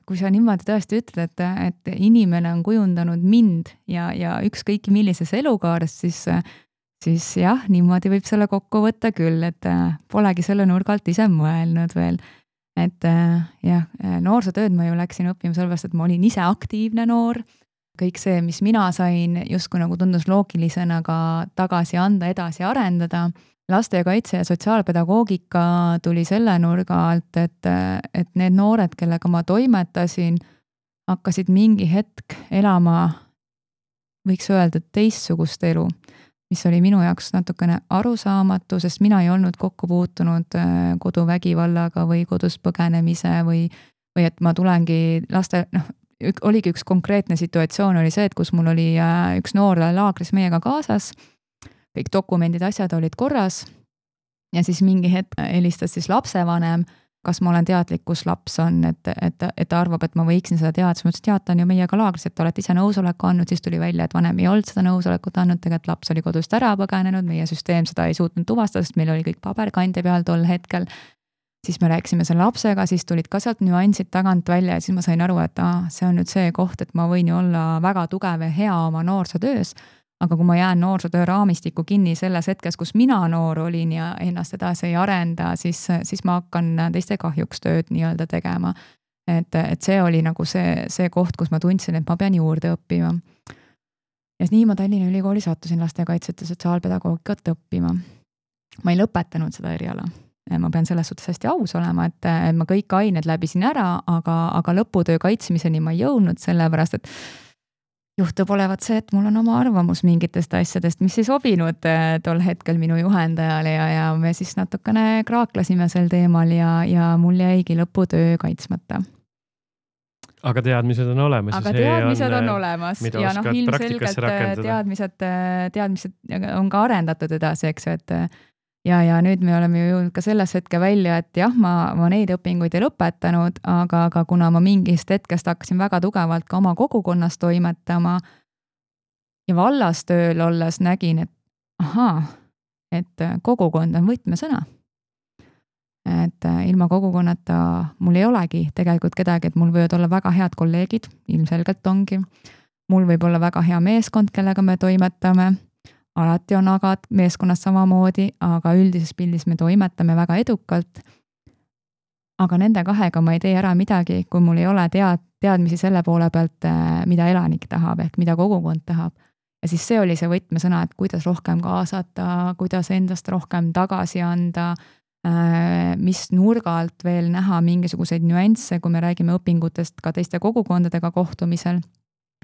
kui sa niimoodi tõesti ütled, et inimene on kujundanud mind ja ükskõik millises elukaares, siis jah, niimoodi võib selle kokku võtta küll, et polegi selle nurgalt ise mõelnud veel. Et jah, noorsootööd ma ju läksin õppima sellepärast, et ma olin ise aktiivne noor. Kõik see, mis mina sain, justkui nagu tundus loogilisena ka tagasi anda, edasi arendada. Lastekaitse ja sotsiaalpedagoogika tuli selle nurga alt, et need noored, kellega ma toimetasin, hakkasid mingi hetk elama, võiks öelda, teistsugust elu, mis oli minu jaoks natukene arusaamatu, sest mina ei olnud kokku puutunud koduvägivallaga või kodust põgenemise või et ma tulengi oligi üks konkreetne situatsioon oli see, et kus mul oli üks noor laagris meiega kaasas, kõik dokumendid, asjad olid korras ja siis mingi hetk helistas siis lapsevanem, kas ma olen teadlik, kus laps on, et ta arvab, et ma võiksin seda teada, siis ma ütlesin, et ta on ju meiega laagris, et olete ise nõusoleku andnud, siis tuli välja, et vanem ei olnud seda nõusolekut andnud, tegelikult laps oli kodust ära põgenenud, meie süsteem seda ei suutnud tuvastada, sest meil oli kõik paberkandja peal tol hetkel. Siis me rääkisime selle lapsega, siis tulid ka sealt nüansid tagant välja ja siis ma sain aru, et see on nüüd see koht, et ma võin ju olla väga tugev ja hea oma noorsootöös, aga kui ma jään noorsootöö raamistikku kinni selles hetkes, kus mina noor olin ja ennast edasi ei arenda, siis ma hakkan teiste kahjuks tööd nii-öelda tegema. Et see oli nagu see koht, kus ma tundsin, et ma pean juurde õppima. Ja nii ma Tallinna Ülikooli sattusin lastekaitset ja sotsiaalpedagoogikat õppima. Ma ei lõpetanud seda eriala. Ma pean selles suhtes hästi aus olema, et ma kõik ained läbisin ära, aga lõputöö kaitsmiseni ma ei jõudnud, sellepärast, et juhtub olevat see, et mul on oma arvamus mingitest asjadest, mis ei sobinud tol hetkel minu juhendajale ja me siis natukene kraaklesime sel teemal ja mul jäigi lõputöö kaitsmata. Aga teadmised on olemas. Aga teadmised on olemas ja ilmselgelt teadmised on ka arendatud edasi, eks ju, et ja nüüd me oleme jõudnud ka selles hetke välja, et jah, ma neid õpinguid ei lõpetanud, aga kuna ma mingist hetkest hakkasin väga tugevalt ka oma kogukonnas toimetama ja vallas tööl olles nägin, et kogukond on võtmesõna. Et ilma kogukonnata mul ei olegi tegelikult kedagi, et mul võivad olla väga head kolleegid, ilmselgelt ongi. Mul võib olla väga hea meeskond, kellega me toimetame. Alati on agad meeskonnas samamoodi, aga üldises pildis me toimetame väga edukalt. Aga nende kahega ma ei tee ära midagi, kui mul ei ole teadmisi selle poole pealt, mida elanik tahab ehk mida kogukond tahab. Ja siis see oli see võtmesõna, et kuidas rohkem kaasata, kuidas endast rohkem tagasi anda, mis nurga alt veel näha mingisuguseid nüansse, kui me räägime õpingutest ka teiste kogukondadega kohtumisel.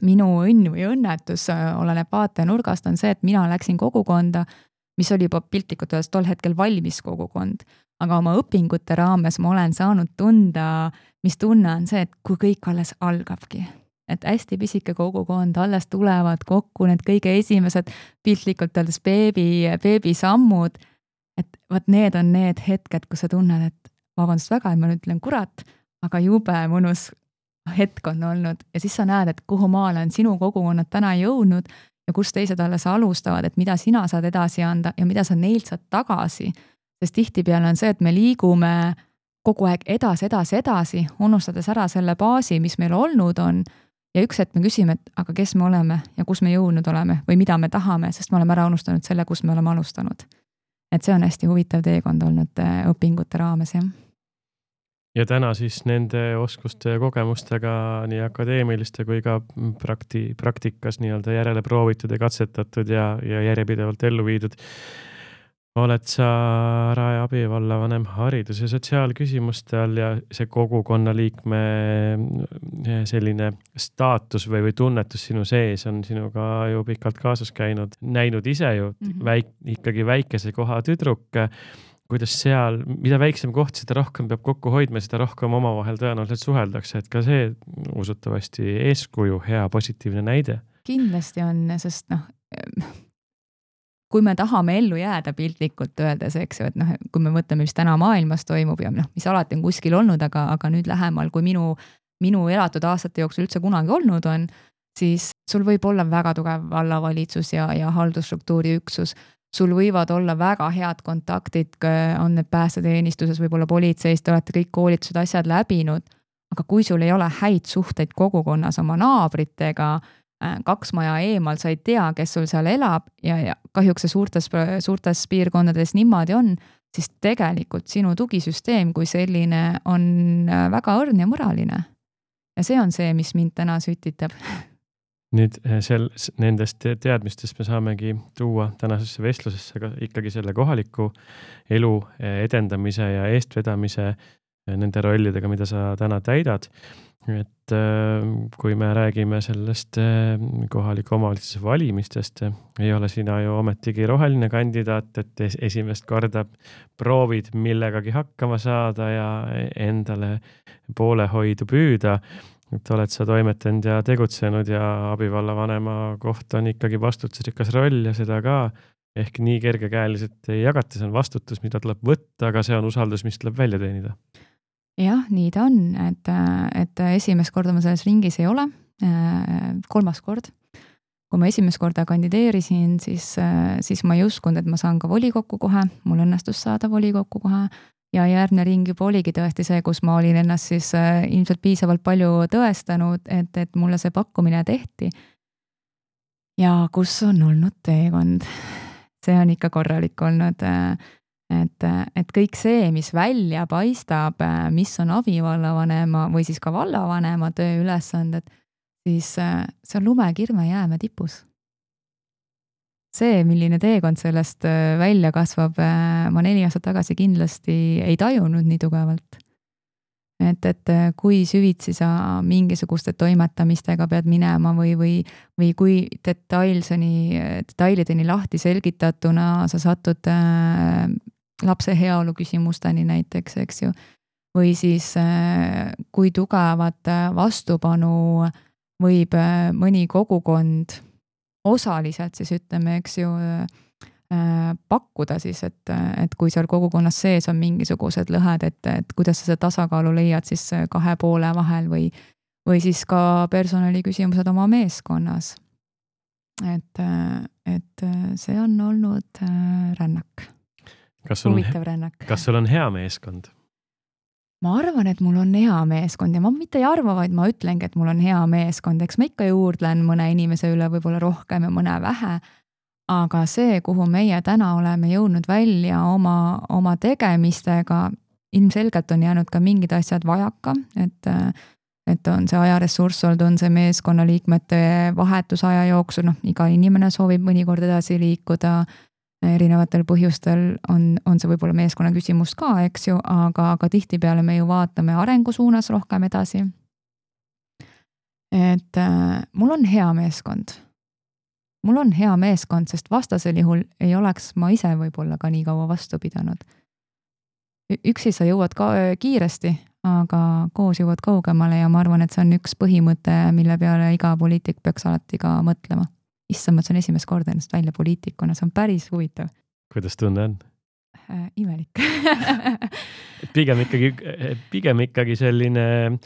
Minu õnn või õnnetus oleneb vaatenurgast on see, et mina läksin kogukonda, mis oli juba piltlikult öeldes tol hetkel valmis kogukond. Aga oma õpingute raames ma olen saanud tunda, mis tunne on see, et kui kõik alles algabki. Et hästi pisike kogukond, alles tulevad kokku need kõige esimesed piltlikult öeldes beebi sammud. Et võt need on need hetked, kus sa tunned, et vabandust väga, et ma nüüd ütlen kurat, aga jube mõnus hetk on olnud ja siis sa näed, et kuhu maale on sinu kogukonnad täna jõudnud ja kus teised alles alustavad, et mida sina saad edasi anda ja mida sa neilt saad tagasi. Sest tihtipeale on see, et me liigume kogu aeg edasi, unustades ära selle baasi, mis meil olnud on ja üks hetk me küsime, et aga kes me oleme ja kus me jõudnud oleme või mida me tahame, sest me oleme ära unustanud selle, kus me oleme alustanud. Et see on hästi huvitav teekond olnud õpingute raames, jah. Ja täna siis nende oskuste ja kogemustega nii akadeemiliste kui ka praktikas nii-öelda järele proovitud ja katsetatud ja järjepidevalt ellu viidud. Oled sa Rae abivallavanem haridus- ja sotsiaalküsimuste all ja see kogukonna liikme selline staatus või tunnetus sinu sees on sinuga ju pikalt kaasas käinud. Näinud ise ju ikkagi väikese koha tüdruk. Kuidas seal, mida väiksem koht, seda rohkem peab kokku hoidma, seda rohkem omavahel tõenäoliselt suheldakse, et ka see usutavasti eeskuju, hea positiivne näide. Kindlasti on, sest kui me tahame ellu jääda piltlikult öeldes, eks ju, et kui me mõtleme, mis täna maailmas toimub ja mis alati on kuskil olnud, aga nüüd lähemal, kui minu elatud aastate jooksul üldse kunagi olnud on, siis sul võib olla väga tugev vallavalitsus ja haldusstruktuuri üksus. Sul võivad olla väga head kontaktid, on need päästeteenistuses, võib-olla politseis, te olete kõik koolitused asjad läbinud, aga kui sul ei ole häid suhteid kogukonnas oma naabritega, 2 maja eemal, sa ei tea, kes sul seal elab ja kahjuks see suurtes piirkondades niimoodi on, siis tegelikult sinu tugisüsteem kui selline on väga õrn ja mõraline. Ja see on see, mis mind täna sütitab. Nüüd nendest teadmistest me saamegi tuua tänasesse vestlusesse ka ikkagi selle kohaliku elu edendamise ja eestvedamise nende rollidega, mida sa täna täidad. Et kui me räägime sellest kohaliku omavalitsuse valimistest, ei ole sina ju ometigi roheline kandidaat, et esimest korda proovid millegagi hakkama saada ja endale poolehoidu püüda. Et oled sa toimetanud ja tegutsenud ja abivallavanema koht on ikkagi vastutusrikas roll ja seda ka ehk nii kergekäeliselt ei jagata, see on vastutus, mida tuleb võtta, aga see on usaldus, mis tuleb välja teenida. Jah, nii ta on, et esimest korda ma selles ringis ei ole, 3. kord. Kui ma esimest korda kandideerisin, siis ma ei uskunud, et ma saan ka volikokku kohe, mul õnnestus saada volikokku kohe ja järgmine ring juba oligi tõesti see, kus ma olin ennast siis ilmselt piisavalt palju tõestanud, et mulle see pakkumine tehti. Ja kus on olnud teekond. See on ikka korralik olnud, et kõik see, mis välja paistab, mis on abivallavanema või siis ka vallavanema töö ülesanded, siis see on lumekirme jääme tipus. See, milline teekond sellest välja kasvab, ma 4 aastat tagasi kindlasti ei tajunud nii tugevalt. Et kui süvitsi sa mingisuguste toimetamistega pead minema või kui detailideni lahti selgitatuna sa satud lapse heaolu küsimusteni näiteks, eks ju. Või siis kui tugevat vastupanu võib mõni kogukond osaliselt siis ütleme, eks ju, pakkuda siis, et kui seal kogukonnas sees on mingisugused lõhed, et kuidas sa seda tasakaalu leiad siis 2 poole vahel või siis ka personali küsimused oma meeskonnas. Et see on olnud rännak. Huvitav rännak. Kas sul on hea meeskond? Ma arvan, et mul on hea meeskond ja ma mitte ei arva, vaid ma ütlengi, et mul on hea meeskond. Eks ma ikka juurdlen mõne inimese üle võib-olla rohkem ja mõne vähe, aga see, kuhu meie täna oleme jõudnud välja oma tegemistega, ilmselgelt on jäänud ka mingid asjad vajaka, et on see ajaressurss olnud, on see meeskonnaliikmete vahetusaja jooksul, iga inimene soovib mõnikord edasi liikuda, erinevatel põhjustel on see võib-olla meeskonna küsimus ka, eks ju, aga tihtipeale me ju vaatame arengu suunas rohkem edasi. Et mul on hea meeskond. Mul on hea meeskond, sest vastasel juhul ei oleks ma ise võib-olla ka nii kaua vastu pidanud. Üksi sa jõuad ka kiiresti, aga koos jõuad kaugemale ja ma arvan, et see on üks põhimõte, mille peale iga poliitik peaks alati ka mõtlema. Issand, ma see on esimest korda ennast välja poliitikuna, see on päris huvitav. Kuidas tunne on? Imelik. Pigem ikkagi selline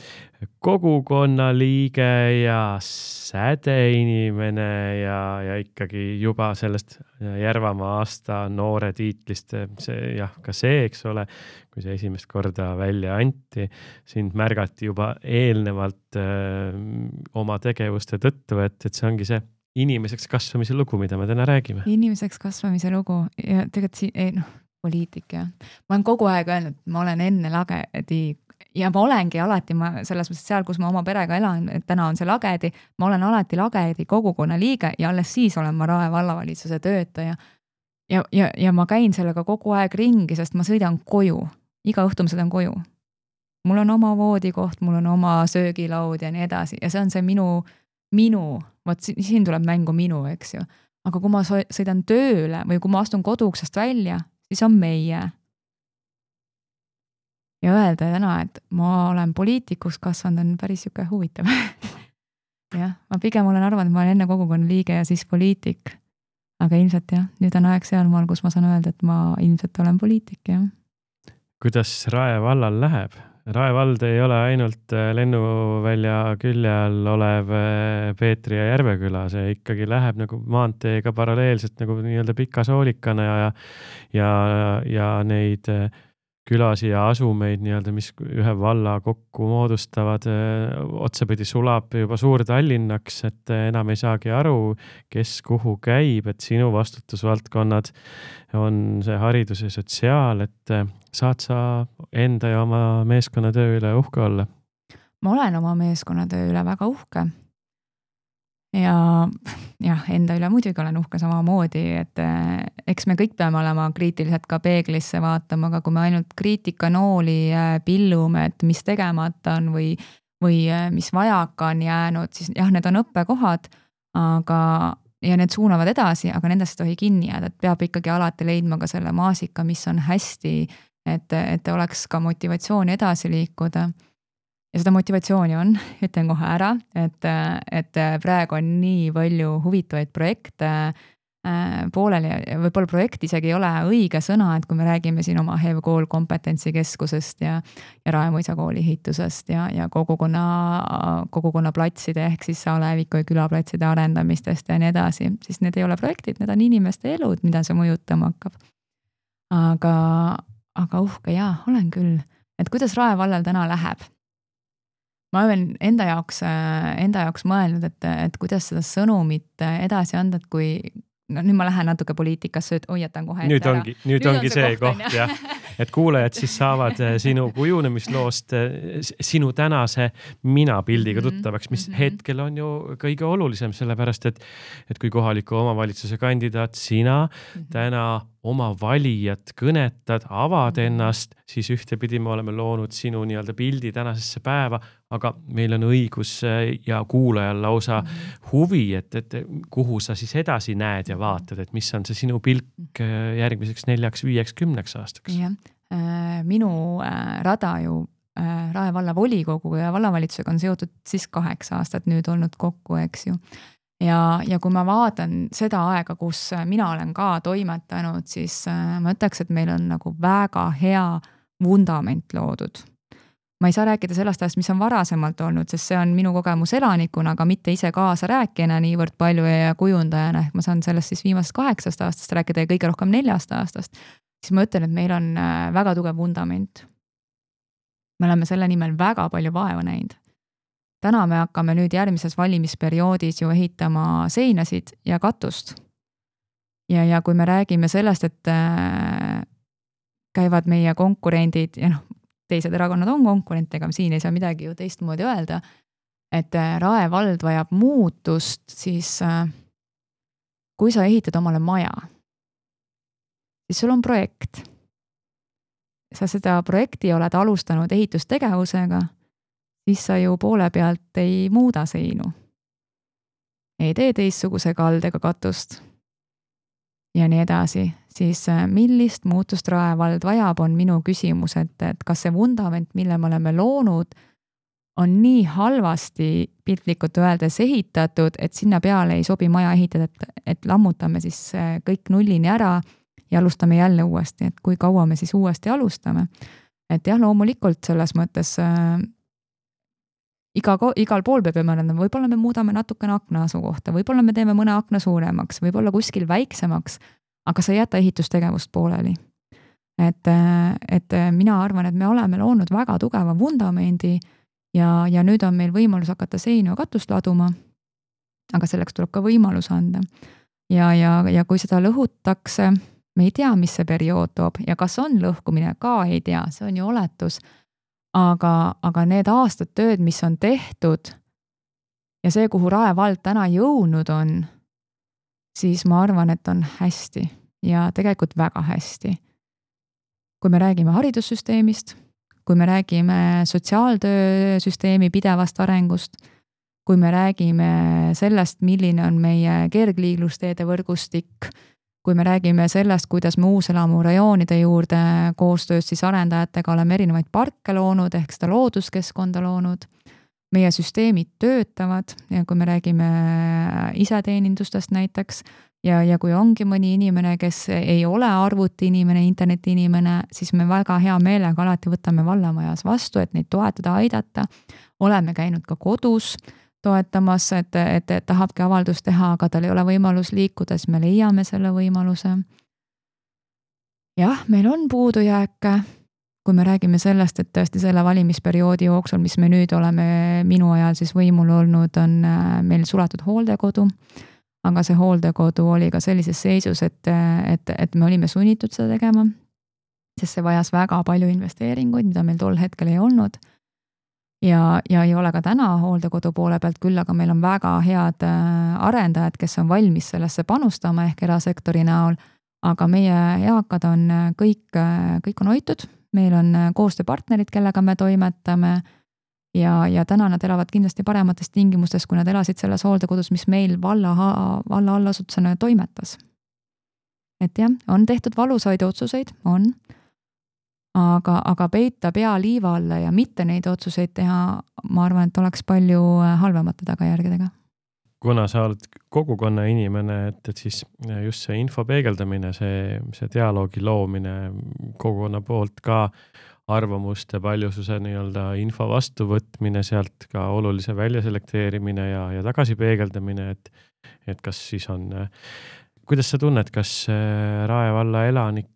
kogukonna liige ja sädeinimene ja ikkagi juba sellest Järvamaa aasta noore tiitlist, ka see, eks ole, kui see esimest korda välja anti, sind märgati juba eelnevalt oma tegevuste tõttu, et see ongi see inimeseks kasvamise lugu, mida me täna räägime. Inimeseks kasvamise lugu ja tegelikult poliitik, jah. Ma olen kogu aeg öelnud, ma olen enne Lagedi ja ma olengi alati, selles mõttes seal, kus ma oma perega elan, et täna on see Lagedi, ma olen alati Lagedi kogukonna liige ja alles siis olen ma Rae vallavalitsuse töötaja. Ja ma käin sellega kogu aeg ringi, sest ma sõidan koju. Iga õhtu ma sõidan koju. Mul on oma voodikoht, mul on oma söögilaud ja nii edasi ja see on see minu, vot siin tuleb mängu minu, eks ju. Aga kui ma sõidan tööle või kui ma astun koduuksest välja, siis on meie. Ja öelda täna, et ma olen poliitikuks kasvanud, on päris siuke huvitav. Jah, ma pigem olen arvanud, et ma olen enne kogukonna liige ja siis poliitik. Aga ilmselt jah, nüüd on aeg sealmaal, kus ma saan öelda, et ma ilmselt olen poliitik, jah. Kuidas Rae vallal läheb? Rae vald ei ole ainult lennuvälja külje all olev Peetri ja Järveküla, see ikkagi läheb nagu maanteega paralleelselt nagu nii-öelda pika soolikana ja neid külasi ja asumeid nii-öelda, mis ühe valla kokku moodustavad, otsapidi sulab juba Suur-Tallinnaks, et enam ei saagi aru, kes kuhu käib, et sinu vastutusvaldkonnad on see haridus ja sotsiaal, et saad sa enda ja oma meeskonnatöö üle uhke olla? Ma olen oma meeskonnatöö üle väga uhke. Ja enda üle muidugi olen uhke samamoodi, et eks me kõik peame olema kriitiliselt ka peeglisse vaatama, aga kui me ainult kriitikanooli pillume, et mis tegemata on või mis vajaka on jäänud, siis jah, need on õppekohad, ja need suunavad edasi, aga nendest tohi kinni jääda, et peab ikkagi alati leidma ka selle maasika, mis on hästi, et oleks ka motivatsiooni edasi liikuda. Ja seda motivatsiooni on, ütlen kohe ära, et praegu on nii palju huvitavaid projekte, pooleli ja võib-olla projekt isegi ei ole õige sõna, et kui me räägime siin oma HEV-kool kompetentsikeskusest ja Rae Mõisa kooli ehitusest ja kogukonna platside ehk siis Aleviku ja külaplatside arendamistest ja nii edasi, siis need ei ole projektid, need on inimeste elud, mida see mõjutama hakkab. Aga uhke jaa, olen küll. Et kuidas Rae vallal täna läheb? Ma olen enda jaoks mõelnud, et kuidas seda sõnumit edasi anda, et kui nüüd ma lähen natuke poliitikasse, et hoiatan kohe nüüd ongi see koht, jah. Et kuulajad siis saavad sinu kujunemisloost, sinu tänase minapildiga tuttavaks, mis hetkel on ju kõige olulisem, sellepärast, et kui kohaliku omavalitsuse kandidaat sina täna oma valijat kõnetad, avad ennast, siis ühtepidi me oleme loonud sinu nii-öelda pildi tänasesse päeva, aga meil on õigus ja kuulajal lausa huvi, et kuhu sa siis edasi näed ja vaatad, et mis on see sinu pilk järgmiseks 4, 5, 10 aastaks. Jah, minu rada ju Rae valla volikogu ja vallavalitsusega on seotud siis 8 aastat nüüd olnud kokku, eks ju. Ja kui ma vaatan seda aega, kus mina olen ka toimetanud, siis ma ütleks, et meil on nagu väga hea vundament loodud. Ma ei saa rääkida sellest ajast, mis on varasemalt olnud, sest see on minu kogemus elanikuna, aga mitte ise kaasa rääkijana niivõrd palju ja kujundajana, ehk ma saan sellest siis viimasest 8 aastast rääkida ja kõige rohkem 4 aastast, siis ma ütlen, et meil on väga tugev vundament. Me oleme selle nimel väga palju vaeva näinud. Täna me hakkame nüüd järgmises valimisperioodis ju ehitama seinasid ja katust. Ja kui me räägime sellest, et käivad meie konkurendid ja teised erakonnad on konkurentidega, siin ei saa midagi ju teistmoodi öelda, et Rae vald vajab muutust, siis kui sa ehitad omale maja, siis sul on projekt. Sa seda projekti oled alustanud ehitustegevusega, siis sa ju poole pealt ei muuda seinu. Ei tee teistsuguse kaldega katust ja nii edasi. Siis millist muutust Rae vald vajab, on minu küsimus, et kas see vundament, mille me oleme loonud, on nii halvasti piltlikult öeldes ehitatud, et sinna peale ei sobi maja ehitada, et lammutame siis kõik nullini ära ja alustame jälle uuesti, et kui kaua me siis uuesti alustame. Et jah, loomulikult selles mõttes igal pool peab mõelda, võib-olla me muudame natukene akna asukohta, võib-olla me teeme mõne akna suuremaks, võib-olla kuskil väiksemaks, aga sa ei jäta ehitustegevust pooleli. Et mina arvan, et me oleme loonud väga tugeva vundamendi ja nüüd on meil võimalus hakata seinu ja katust laduma, aga selleks tuleb ka võimalus anda. Ja kui seda lõhutakse, me ei tea, mis see periood toob ja kas on lõhkumine, ka ei tea, see on ju oletus. Aga need aastad tööd, mis on tehtud ja see, kuhu Rae vald täna jõudnud on, siis ma arvan, et on hästi ja tegelikult väga hästi. Kui me räägime haridussüsteemist, kui me räägime sotsiaaltöösüsteemi pidevast arengust, kui me räägime sellest, milline on meie kergliiklusteede võrgustik, kui me räägime sellest, kuidas me uuselamu rajoonide juurde koostöös siis arendajatega oleme erinevaid parke loonud, ehk seda looduskeskkonda loonud, meie süsteemid töötavad ja kui me räägime iseteenindustest näiteks ja kui ongi mõni inimene, kes ei ole arvuti inimene, interneti inimene, siis me väga hea meelega alati võtame vallamajas vastu, et neid toetada, aidata. Oleme käinud ka kodus toetamas, et tahabki avaldust teha, aga tal ei ole võimalus liikuda, siis me leiame selle võimaluse. Jah, meil on puudujääke, kui me räägime sellest, et tõesti selle valimisperioodi jooksul, mis me nüüd oleme minu ajal siis võimul olnud, on meil suletud hooldekodu, aga see hooldekodu oli ka sellises seisus, et me olime sunnitud seda tegema, sest see vajas väga palju investeeringuid, mida meil tol hetkel ei olnud. Ja ei ole ka täna hooldekodu poole pealt küll, aga meil on väga head arendajad, kes on valmis sellesse panustama ehk erasektori näol, aga meie eakad on kõik on hoitud, meil on koostööpartnerid, kellega me toimetame ja täna nad elavad kindlasti paremates tingimustes, kui nad elasid selles hooldekodus, mis meil valla allasutusena toimetas. Et jah, on tehtud valusaid otsuseid, on. Aga peita pea liiva alla ja mitte neid otsuseid teha, ma arvan, et oleks palju halvemate tagajärgedega. kuna sa oled kogukonna inimene, et siis just see info peegeldamine, see dialoogi loomine kogukonna poolt ka arvamuste paljususe nii-öelda info vastuvõtmine, sealt ka olulise välja selekteerimine ja tagasi peegeldamine, et kas siis on, kuidas sa tunned, kas Rae valla elanik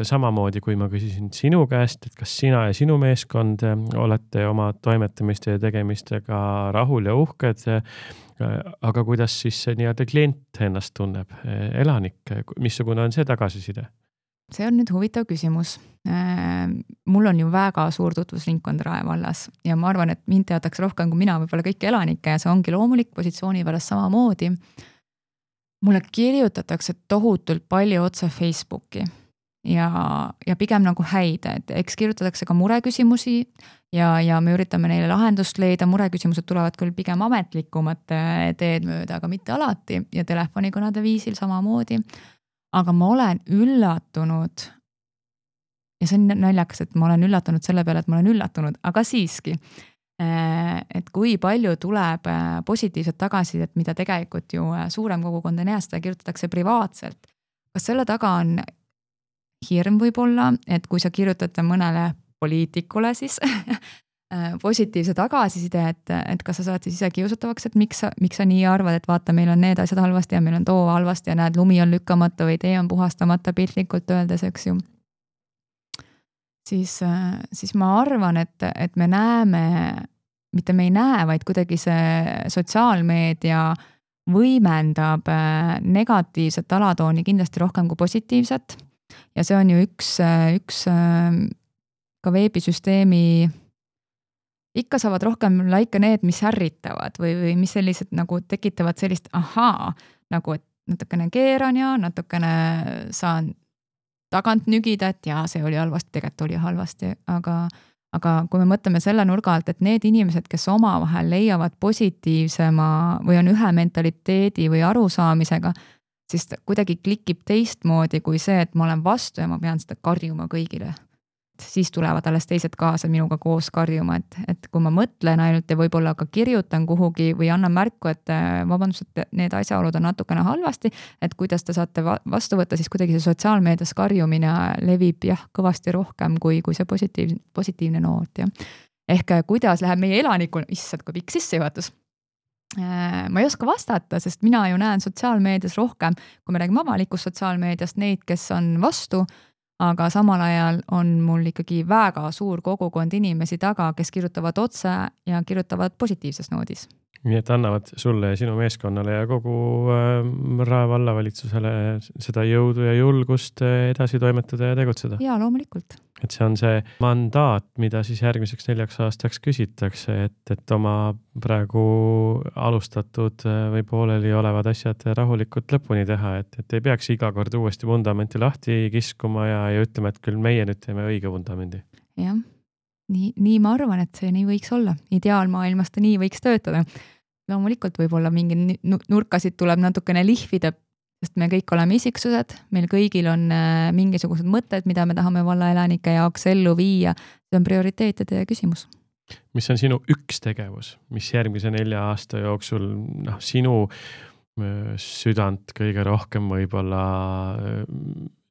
samamoodi, kui ma küsisin sinu käest, et kas sina ja sinu meeskond olete oma toimetamiste ja tegemistega rahul ja uhked, aga kuidas siis see nii-öelda klient ennast tunneb, elanik, missugune on see tagasiside? See on nüüd huvitav küsimus. Mul on ju väga suur tutvusringkond Rae vallas ja ma arvan, et mind teatakse rohkem kui mina võib-olla kõiki elanikke ja see ongi loomulik positsiooni pärast samamoodi. Mulle kirjutatakse tohutult palju otse Facebooki ja pigem nagu häid, et eks kirjutatakse ka mureküsimusi ja me üritame neile lahendust leida, mureküsimused tulevad küll pigem ametlikumad teed mööda, aga mitte alati ja telefonikõnede viisil samamoodi. Aga ma olen üllatunud ja see on naljakas, et ma olen üllatunud selle peale, et ma olen üllatunud, aga siiski, et kui palju tuleb positiivset tagasisidet, mida tegelikult ju suurem kogukond ei näe, seda kirjutatakse privaatselt. Kas selle taga on hirm võib-olla, et kui sa kirjutate mõnele poliitikule siis positiivse tagasiside, et kas sa saad siis ise kiusatavaks, et miks sa nii arvad, et vaata, meil on need asjad halvasti ja meil on too halvasti ja näed, lumi on lükkamata või tee on puhastamata piltlikult öeldes, eks ju. Siis ma arvan, et me näeme, mitte me ei näe, vaid kuidagi see sotsiaalmeedia võimendab negatiivset alatooni kindlasti rohkem kui positiivset ja see on ju üks ka veebisüsteemi ikka saavad rohkem laike need, mis ärritavad või mis sellised nagu tekitavad sellist nagu et natukene keeran ja natukene saan tagant nügida, et jaa, see oli halvasti, tegelikult oli halvasti, aga kui me mõtleme selle nurga alt, et need inimesed, kes omavahel leiavad positiivsema või on ühe mentaliteedi või arusaamisega, siis kuidagi klikib teistmoodi kui see, et ma olen vastu ja ma pean seda karjuma kõigile. Siis tulevad alles teised kaasa minuga koos karjuma, et kui ma mõtlen ainult ja võib-olla ka kirjutan kuhugi või annan märku, et vabandust, et need asjaolud on natukene halvasti, et kuidas te saate vastu võtta, siis kuidagi see sotsiaalmeedias karjumine levib kõvasti rohkem kui see positiivne noot. Ehk kuidas läheb meie elanikul, issand, kui pikk sissejuhatus. Ma ei oska vastata, sest mina ju näen sotsiaalmeedias rohkem, kui me räägime avalikust sotsiaalmeediast, neid, kes on vastu, aga samal ajal on mul ikkagi väga suur kogukond inimesi taga, kes kirjutavad otse ja kirjutavad positiivses noodis. Nii et annavad sulle ja sinu meeskonnale ja kogu Rae vallavalitsusele seda jõudu ja julgust edasi toimetada ja tegutseda. Jaa, loomulikult. Et see on see mandaat, mida siis järgmiseks 4 aastaks küsitakse, et oma praegu alustatud või pooleli olevad asjad rahulikult lõpuni teha, et ei peaks iga kord uuesti vundamenti lahti kiskuma ja ütlema, et küll meie nüüd teeme õige vundamendi. Jah. Nii ma arvan, et see nii võiks olla. Ideaalmaailmas ta nii võiks töötada. Loomulikult võib-olla mingi nurkasid tuleb natukene lihvida, sest me kõik oleme isiksused, meil kõigil on mingisugused mõtted, mida me tahame vallaelanike jaoks ellu viia. See on prioriteetide küsimus. Mis on sinu üks tegevus, mis järgmise 4 aasta jooksul sinu südant kõige rohkem võib-olla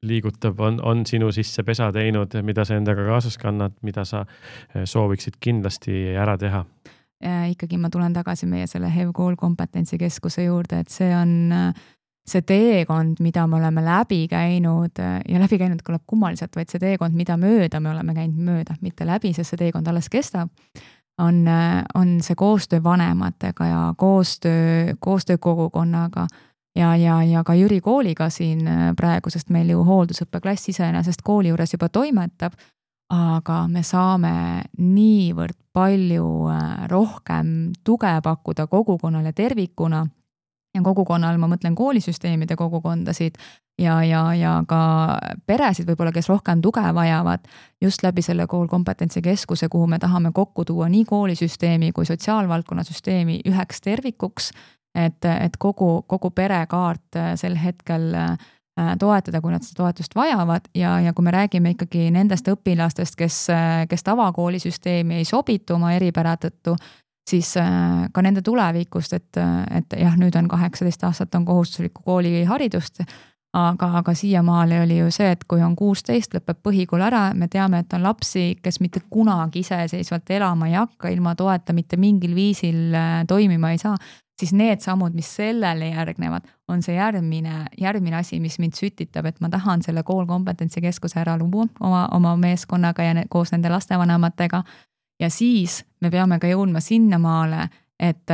liigutab, on sinu sisse pesa teinud, mida sa endaga kaasas kannad, mida sa sooviksid kindlasti ära teha? Ikkagi ma tulen tagasi meie selle HEV-kool kompetentsikeskuse juurde, et see on see teekond, mida me oleme läbi käinud ja läbi käinud kõlab kummaliselt, vaid see teekond, mida mööda me oleme käinud mööda, mitte läbi, sest see teekond alles kestab, on see koostöö vanematega ja koostöö kogukonnaga ja ka Jüri kooliga siin praegu, sest meil ju hooldusõppeklass iseenesest kooli juures juba toimetab, aga me saame niivõrd palju rohkem tuge pakkuda kogukonnale tervikuna ja kogukonnal, ma mõtlen koolisüsteemide kogukondasid ja ka peresid võib-olla, kes rohkem tuge vajavad just läbi selle koolkompetentsikeskuse, kuhu me tahame kokku tuua nii koolisüsteemi kui sotsiaalvaldkonna süsteemi üheks tervikuks, et kogu perekaart sel hetkel toetada, kui nad seda toetust vajavad ja kui me räägime ikkagi nendest õpilastest, kes tavakoolisüsteemi ei sobitu oma eripära tõttu, siis ka nende tulevikust, et jah, nüüd on 18 aastat on kohustuslikku kooliharidust, aga siiamaale oli ju see, et kui on 16, lõpeb põhikool ära, me teame, et on lapsi, kes mitte kunagi iseseisvalt elama ei hakka, ilma toeta mitte mingil viisil toimima ei saa, siis need sammud, mis sellele järgnevad, on see järgmine asi, mis mind sütitab, et ma tahan selle koolkompetentsikeskuse ära luua oma meeskonnaga ja koos nende lastevanematega. Ja siis me peame ka jõudma sinnamaale, et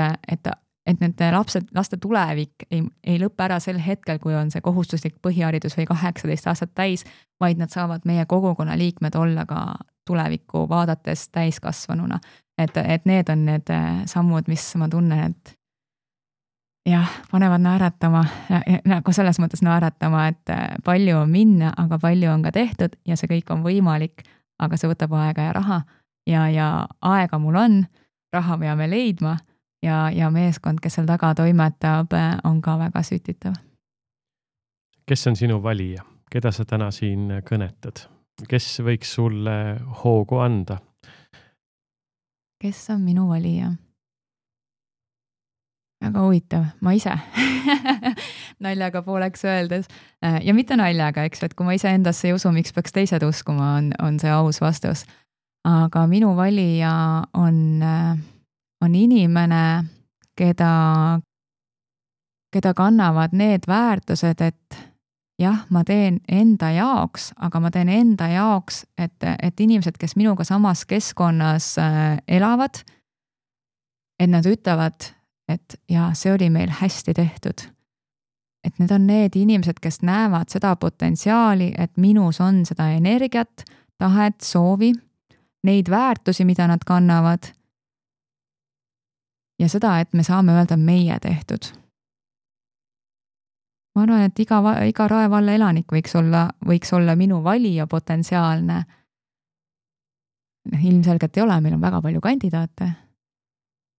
nende laste tulevik ei lõppe ära sel hetkel, kui on see kohustuslik põhiharidus või 18 aastat täis, vaid nad saavad meie kogukonna liikmed olla ka tulevikku vaadates täiskasvanuna. Et need on need sammud, mis ma tunnen, et jah, panevad naeratama, nagu selles mõttes naeratama, et palju on minna, aga palju on ka tehtud ja see kõik on võimalik, aga see võtab aega ja raha ja aega mul on, raha peame leidma ja meeskond, kes seal taga toimetab, on ka väga sütitav. Kes on sinu valija? Keda sa täna siin kõnetad? Kes võiks sulle hoogu anda? Kes on minu valija? Väga huvitav, ma ise naljaga pooleks öeldes ja mitte naljaga, eks, et kui ma ise endasse ei usu, miks peaks teised uskuma, on see aus vastus. Aga minu valija on inimene, keda kannavad need väärtused, et jah, ma teen enda jaoks, aga ma teen enda jaoks, et inimesed, kes minuga samas keskkonnas elavad, et nad ütlevad, et ja see oli meil hästi tehtud. Et need on need inimesed, kes näevad seda potentsiaali, et minus on seda energiat, tahet, soovi, neid väärtusi, mida nad kannavad ja seda, et me saame öelda meie tehtud. Ma arvan, et iga Rae valla elanik võiks olla minu valija potentsiaalne. Ilmselgelt ei ole, meil on väga palju kandidaate.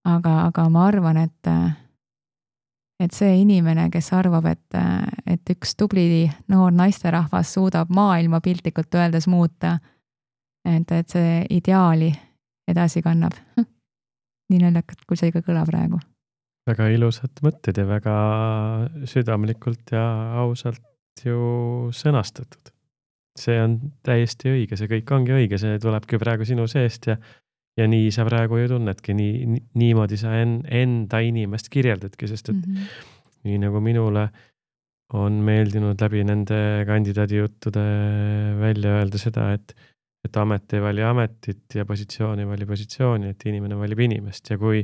Aga ma arvan, et see inimene, kes arvab, et üks tubli noor naisterahvas suudab maailma piltlikult öeldes muuta, et see ideaali edasi kannab. Nii naljakalt, kui see ikka kõlab praegu. Väga ilusad mõtted ja väga südamlikult ja ausalt ju sõnastatud. See on täiesti õige, see kõik ongi õige, see tulebki praegu sinu seest ja nii sa praegu ju tunnedki, niimoodi sa enda inimest kirjeldadki, sest et nii nagu minule on meeldinud läbi nende kandidaadi juttude välja öelda seda, et amet ei vali ametit ja positsioon ei vali positsiooni, et inimene valib inimest ja kui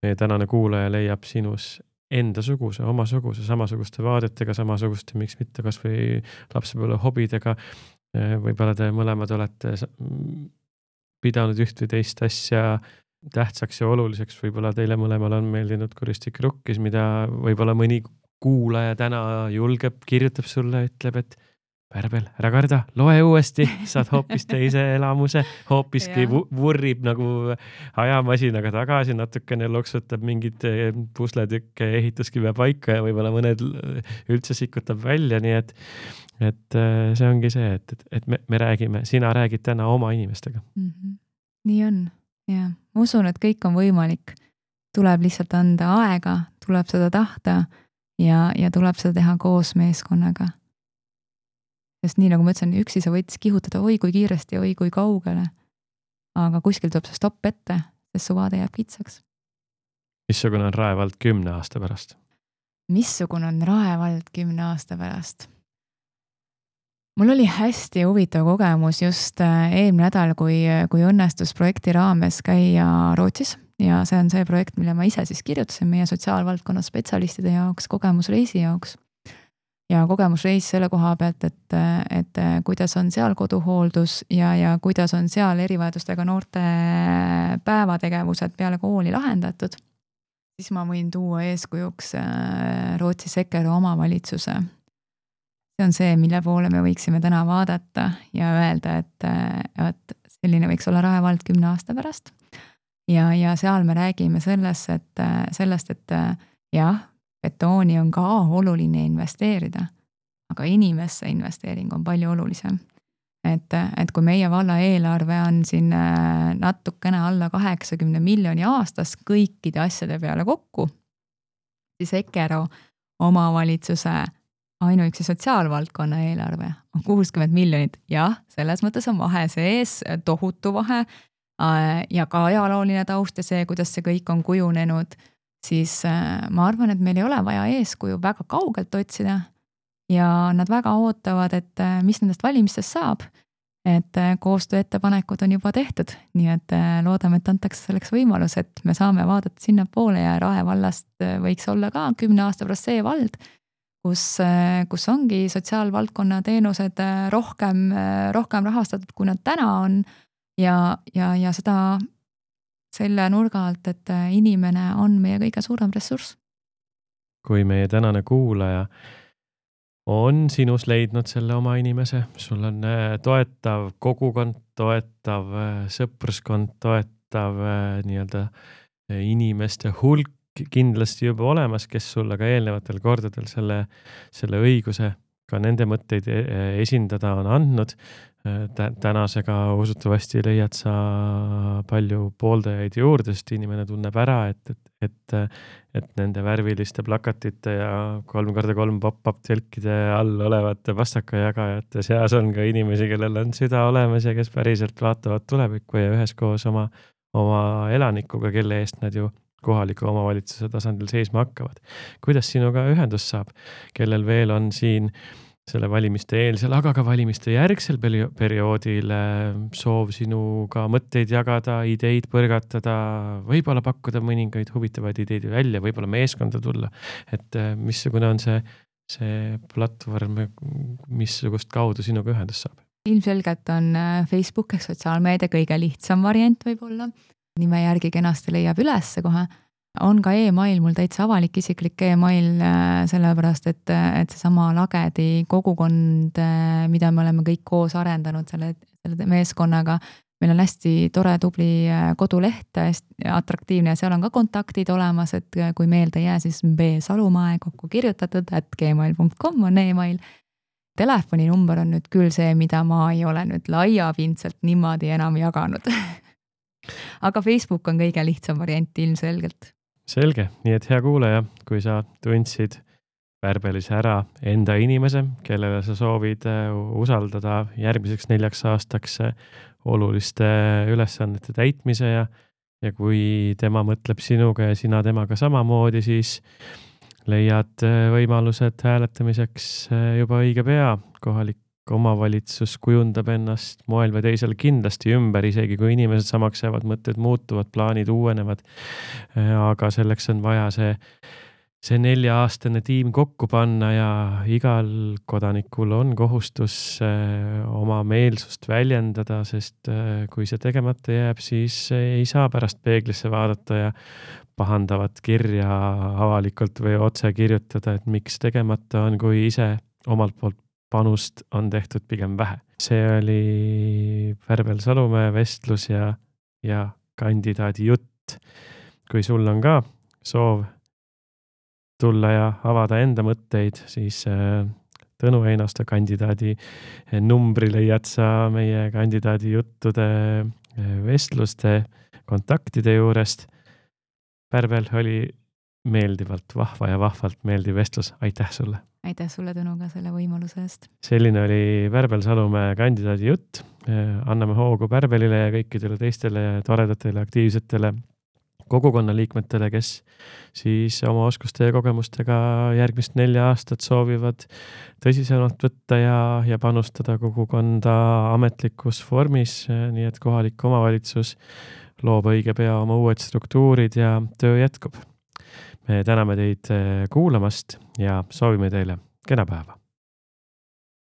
meie tänane kuulaja leiab sinus enda suguse, omasuguse, samasuguste vaadetega, samasuguste, miks mitte kas või lapsepõlve hobidega, võib-olla te mõlemad olete pidanud üht või teist asja tähtsaks ja oluliseks, võib-olla teile mõlemal on meeldinud kuristik rukkis, mida võib-olla mõni kuulaja täna julgeb, kirjutab sulle, ütleb, et Pärbel, ära karda, loe uuesti, saad hoopis teise elamuse, hoopiski vurrib nagu ajamasinaga tagasi, natukene loksutab mingid pusletükke ehituskive paika ja võib-olla mõned üldse sikutab välja, nii et see ongi see, et me räägime, sina räägid täna oma inimestega. Nii on, jah. Ma usun, et kõik on võimalik. Tuleb lihtsalt anda aega, tuleb seda tahta ja tuleb seda teha koos meeskonnaga. Sest nii nagu ma ütlesin, üksi sa võid kihutada oi kui kiiresti, oi kui kaugele. Aga kuskil tuleb see stopp ette, sest su vaade jääb kitsaks. Missugune on Rae vald 10 aasta pärast? Missugune on Rae vald 10 aasta pärast? Mul oli hästi huvitav kogemus just eelmine nädal, kui õnnestus projekti raames käia Rootsis ja see on see projekt, mille ma ise siis kirjutasin meie sotsiaalvaldkonna spetsialistide jaoks, kogemusreisi jaoks. Ja kogemusreis selle koha pealt, et kuidas on seal koduhooldus ja kuidas on seal erivajadustega noorte päevategevused peale kooli lahendatud, siis ma võin tuua eeskujuks Rootsi Sekero omavalitsuse. See on see, mille poole me võiksime täna vaadata ja öelda, et selline võiks olla Rae vald 10 aasta pärast. Ja seal me räägime sellest, et jah, betooni on ka oluline investeerida, aga inimesse investeering on palju olulisem. et kui meie valla eelarve on siin natukene alla 80 miljoni aastas kõikide asjade peale kokku, siis Ekero omavalitsuse ainuüksi sotsiaalvaldkonna eelarve on 60 miljonit. Jah, selles mõttes on vahe sees, tohutu vahe ja ka ajalooline taust ja see, kuidas see kõik on kujunenud, siis ma arvan, et meil ei ole vaja eeskuju väga kaugelt otsida ja nad väga ootavad, et mis nendest valimistest saab. Et koostööettepanekud on juba tehtud, nii et loodame, et antakse selleks võimalus, et me saame vaadata sinna poole ja Rae vallast võiks olla ka 10 aasta pärast see vald, kus ongi sotsiaalvaldkonna teenused rohkem rahastatud, kui nad täna on ja seda selle nurga alt, et inimene on meie kõige suurem ressurss. Kui meie tänane kuulaja on sinus leidnud selle oma inimese, sul on toetav kogukond, toetav sõpruskond, toetav nii-öelda inimeste hulk kindlasti juba olemas, kes sulle ka eelnevatel kordadel selle õiguse ka nende mõtteid esindada on andnud. Tänasega usutavasti leiad sa palju pooldajaid juurde, sest inimene tunneb ära, et nende värviliste plakatite ja 3x3 pop-up telkide all olevate pastakajagajate seas on ka inimesi, kellel on süda olemas ja kes päriselt vaatavad tulevikku ja üheskoos oma elanikuga, kelle eest nad ju kohaliku omavalitsuse tasandil seisma hakkavad. Kuidas sinuga ühendus saab, kellel veel on siin selle valimiste eelsel, aga ka valimiste järgsel perioodil soov sinuga mõtteid jagada, ideid põrgatada, võib-olla pakkuda mõningaid huvitavaid ideid välja, võib-olla meeskonda tulla. Et missugune on see platvorm, missugust kaudu sinuga ühendus saab? Ilmselgelt on Facebook ehk sotsiaalmeedia kõige lihtsam variant võib-olla. Nime järgi kenasti leiab üles kohe. On ka e-mail, mul täitsa avalik isiklik e-mail, sellepärast, et seesama Lagedi kogukond, mida me oleme kõik koos arendanud selle meeskonnaga. Meil on hästi tore, tubli koduleht, atraktiivne ja seal on ka kontaktid olemas, et kui meelde jää, siis B.Salumäe kokku kirjutatud, @gmail.com on e-mail. Telefoninumber on nüüd küll see, mida ma ei ole nüüd laiapindselt niimoodi enam jaganud. Aga Facebook on kõige lihtsam variant ilmselgelt. Selge, nii et hea kuulaja, kui sa tundsid Värbelis ära enda inimese, kellele sa soovid usaldada järgmiseks 4 aastaks oluliste ülesannete täitmise ja kui tema mõtleb sinuga ja sina temaga samamoodi, siis leiad võimalused hääletamiseks juba õige pea. Kohalik omavalitsus kujundab ennast moel või teisel kindlasti ümber, isegi kui inimesed samaks jäävad, mõtted muutuvad, plaanid uuenevad. Aga selleks on vaja see 4-aastane tiim kokku panna ja igal kodanikul on kohustus oma meelsust väljendada, sest kui see tegemata jääb, siis ei saa pärast peeglisse vaadata ja pahandavat kirja avalikult või otse kirjutada, et miks tegemata on, kui ise omalt poolt panust on tehtud pigem vähe. See oli Värbel Salumäe vestlus ja kandidaadi jutt. Kui sul on ka soov tulla ja avada enda mõtteid, siis Tõnu Einasto kandidaadi numbri leiad sa meie kandidaadi juttude vestluste kontaktide juurest. Värbel oli meeldivalt vahva ja vahvalt meeldiv vestlus. Aitäh sulle! Aitäh sulle, Tõnu, ka selle võimaluse eest. Selline oli Värbel Salumäe kandidaadi jutt. Anname hoogu Värbelile ja kõikidele teistele toredatele, aktiivsetele kogukonnaliikmetele, kes siis oma oskuste ja kogemustega järgmist 4 aastat soovivad tõsisemalt võtta ja panustada kogukonda ametlikus vormis, nii et kohalik omavalitsus loob õige pea oma uued struktuurid ja töö jätkub. Me täname teid kuulamast ja soovime teile kena päeva.